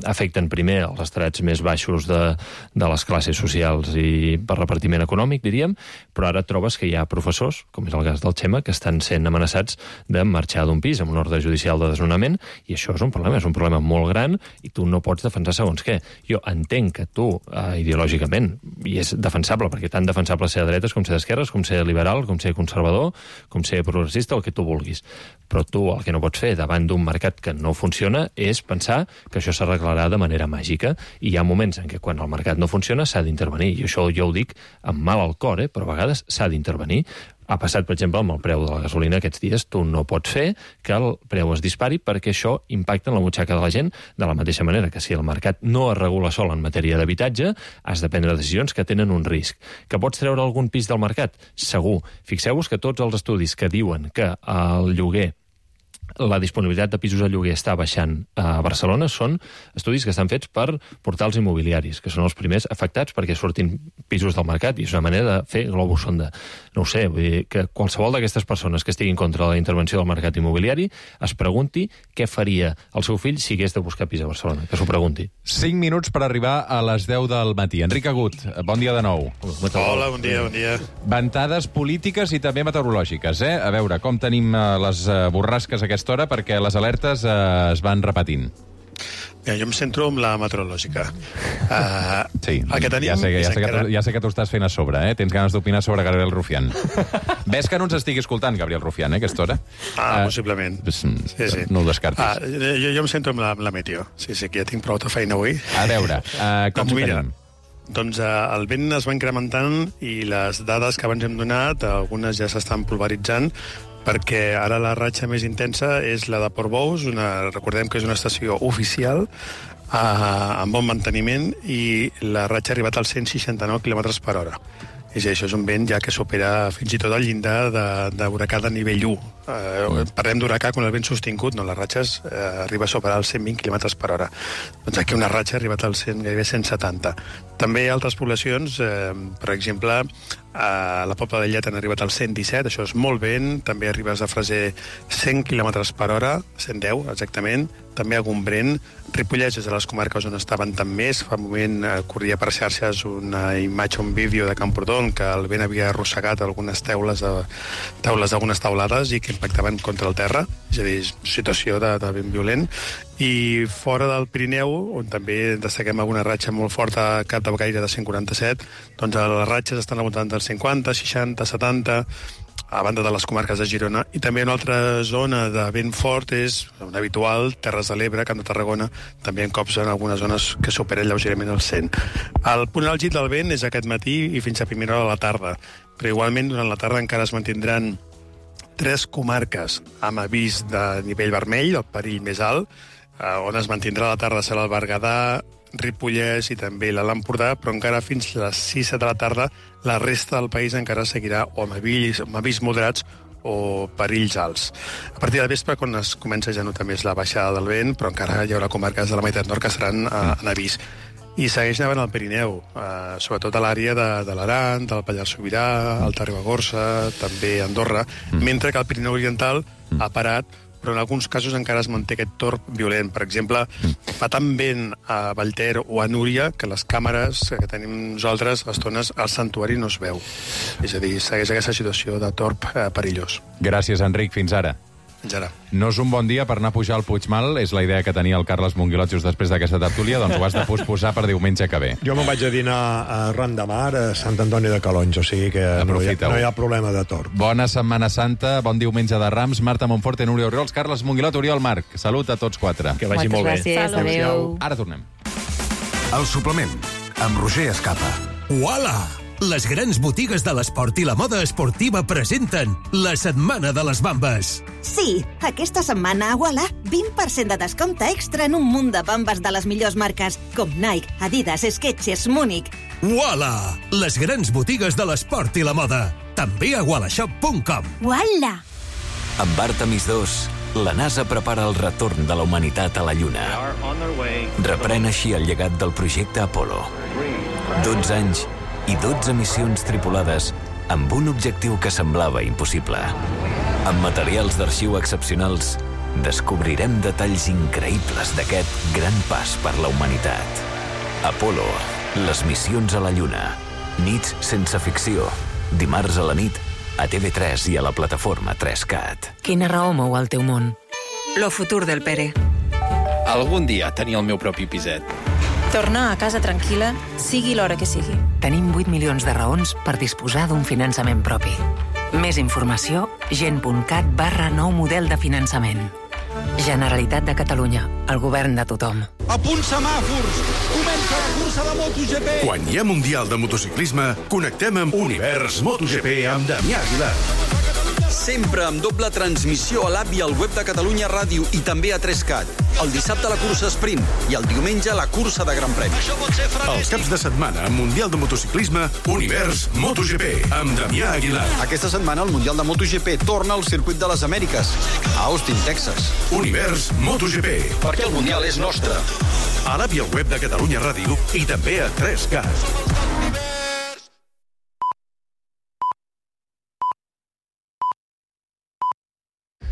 Speaker 3: afecten primer els estrats més baixos de, de les classes socials i per repartiment econòmic, diríem, però ara trobes que hi ha professors, com és el cas del Xema, que estan sent amenaçats de marxar d'un pis amb un ordre judicial de desnonament, i això és un problema, és un problema molt gran, i tu no pots defensar segons què. Jo entenc que tu, eh, ideològicament, i és defensable, perquè tant defensable ser de dretes com ser d'esquerres, com ser liberal, com ser conservador, com ser progressista, el que tu vulguis. Però tu el que no pots fer davant d'un mercat que no funciona és pensar que això s'arreglarà de manera màgica, i hi ha moments en què quan el mercat no funciona s'ha d'intervenir, i això jo ho dic amb mal al cor, eh? Però a vegades s'ha d'intervenir. Ha passat, per exemple, amb el preu de la gasolina aquests dies. Tu no pots fer que el preu es dispari perquè això impacta en la butxaca de la gent, de la mateixa manera que si el mercat no es regula sol en matèria d'habitatge, has de prendre decisions que tenen un risc. Que pots treure algun pis del mercat? Segur. Fixeu-vos que tots els estudis que diuen que el lloguer, la disponibilitat de pisos a lloguer està baixant a Barcelona són estudis que estan fets per portals immobiliaris, que són els primers afectats perquè surtin pisos del mercat, i és una manera de fer globus sonda. No ho sé, vull dir que qualsevol d'aquestes persones que estiguin contra la intervenció del mercat immobiliari es pregunti què faria el seu fill si hagués de buscar pis a Barcelona, que s'ho pregunti.
Speaker 1: Cinc minuts per arribar a les deu del matí. Enric Agut, bon dia de nou.
Speaker 4: Hola, bon dia, bon dia.
Speaker 1: Ventades polítiques i també meteorològiques, eh? A veure, com tenim les borrasques aquesta hora, perquè les alertes eh, es van repetint.
Speaker 4: Ja, jo em centro en la meteorològica. Uh,
Speaker 1: sí,
Speaker 4: el que tenim
Speaker 1: ja sé, ja, sé que
Speaker 4: encara...
Speaker 1: tu, ja sé que tu estàs fent a sobre, eh? Tens ganes d'opinar sobre Gabriel Rufián. Ves que no ens estigui escoltant, Gabriel Rufián, eh, aquesta hora?
Speaker 4: Ah, uh, possiblement.
Speaker 1: Sí, sí. No ho descartis.
Speaker 4: Ah, jo, jo em centro en la, en la meteo. Sí, sí, que ja tinc prou de feina avui.
Speaker 1: A veure, uh, com
Speaker 4: doncs
Speaker 1: ho
Speaker 4: mira,
Speaker 1: tenim?
Speaker 4: Doncs eh, el vent es va incrementant i les dades que abans hem donat, algunes ja s'estan pulveritzant, perquè ara la ratxa més intensa és la de Portbous, una, recordem que és una estació oficial, eh, amb bon manteniment, i la ratxa ha arribat als cent seixanta-nou quilòmetres per hora. És això és un vent ja que supera fins i tot el llindar d'huracà de, de nivell u. Eh, parlem d'huracà quan el vent sostingut, no, les ratxes eh, arriba a superar els cent vint quilòmetres per hora. Doncs aquí una ratxa ha arribat als cent, gairebé cent setanta. També altres poblacions, eh, per exemple, a la Pobla de Llet han arribat als cent disset, això és molt vent, també arribes a Freser cent quilòmetres per hora, cent deu exactament, també a Gombrèn, Ripollès és de les comarques on estaven tant més. Fa un moment eh, corria per xarxes una imatge, un vídeo de Camprodon, que el vent havia arrossegat algunes teules de, taules d'algunes taulades i que impactaven contra el terra, és a dir, situació de, de vent violent. I fora del Pirineu, on també destaquem alguna ratxa molt forta a Cap de Gaire de cent quaranta-set, doncs les ratxes estan al voltant dels cinquanta, seixanta, setanta, a banda de les comarques de Girona, i també una altra zona de vent fort és una habitual, Terres de l'Ebre, Camp de Tarragona, també en cops en algunes zones que superen lleugerament el cent. El punt àlgid del vent és aquest matí i fins a primera hora de la tarda, però igualment durant la tarda encara es mantindran tres comarques amb avís de nivell vermell, el perill més alt, on es mantindrà la tarda serà el Berguedà, Ripollès i també l'Alt Empordà, però encara fins a les sis de la tarda la resta del país encara seguirà o amb avís, amb avís moderats o perills alts. A partir de vespre, quan es comença ja a notar més la baixada del vent, però encara hi haurà comarques de la meitat nord que seran eh, en avís. I segueix nevant al Pirineu, eh, sobretot a l'àrea de, de l'Aran, del Pallars Sobirà, Alta Ribagorça, també Andorra, mm. mentre que el Pirineu Oriental mm. ha parat, però en alguns casos encara es manté aquest torb violent. Per exemple, fa tan vent a Vallter o a Núria que les càmeres que tenim nosaltres a estones al santuari no es veu. És a dir, segueix aquesta situació de torb eh, perillós.
Speaker 1: Gràcies, Enric. Fins ara.
Speaker 4: Fins ara.
Speaker 1: No és un bon dia per anar a pujar al Puigmal, és la idea que tenia el Carles Monguilot just després d'aquesta tertúlia, doncs ho has de posposar per diumenge que ve.
Speaker 5: Jo me'n vaig a dinar a Ran de Mar, a Sant Antoni de Calonge, o sigui que no hi, ha, no hi ha problema de torb.
Speaker 1: Bona Setmana Santa, bon diumenge de Rams, Marta Monforte, Núria Oriols, Carles Monguilot, Oriol Marc. Salut a tots quatre.
Speaker 3: Que vagi molt bé.
Speaker 7: Moltes gràcies, adéu.
Speaker 1: Ara tornem.
Speaker 2: El suplement, amb Roger Escapa. Uala!
Speaker 8: les grans botigues de l'esport i la moda esportiva presenten la Setmana de les Bambes.
Speaker 22: Sí, aquesta setmana a Walla, vint per cent de descompte extra en un munt de bambes de les millors marques, com Nike, Adidas, Skechers, Múnich.
Speaker 8: Walla, les grans botigues de l'esport i la moda. També a walla shop punt com.
Speaker 22: Walla!
Speaker 14: Amb Artemis dos, la NASA prepara el retorn de la humanitat a la Lluna. Reprèn així el llegat del projecte Apollo. dotze anys i dotze missions tripulades amb un objectiu que semblava impossible. Amb materials d'arxiu excepcionals, descobrirem detalls increïbles d'aquest gran pas per la humanitat. Apollo, les missions a la Lluna. Nits sense ficció. Dimarts a la nit, a T V tres i a la plataforma tres cat.
Speaker 23: Quina raó mou el teu món? Lo futur del Pere.
Speaker 24: Algun dia tenir el meu propi piset.
Speaker 23: Tornar a casa tranquil·la, sigui l'hora que sigui. Tenim vuit milions de raons per disposar d'un finançament propi. Més informació, gent.cat barra nou model de finançament. Generalitat de Catalunya, el govern de tothom.
Speaker 25: A punt semàfors! Comença la cursa de MotoGP!
Speaker 2: Quan hi ha Mundial de Motociclisme, connectem amb Univers MotoGP amb Damià Aguilar.
Speaker 25: Sempre amb doble transmissió a l'app i al web de Catalunya Ràdio i també a tres cat. El dissabte la cursa sprint i el diumenge la cursa de Gran Premi.
Speaker 2: Els caps de setmana amb Mundial de Motociclisme, Univers MotoGP amb Damià Aguilar.
Speaker 25: Aquesta setmana el Mundial de MotoGP torna al circuit de les Amèriques, a Austin, Texas.
Speaker 2: Univers MotoGP.
Speaker 25: Perquè el Mundial és nostre.
Speaker 2: A l'app i al web de Catalunya Ràdio i també a tres cat.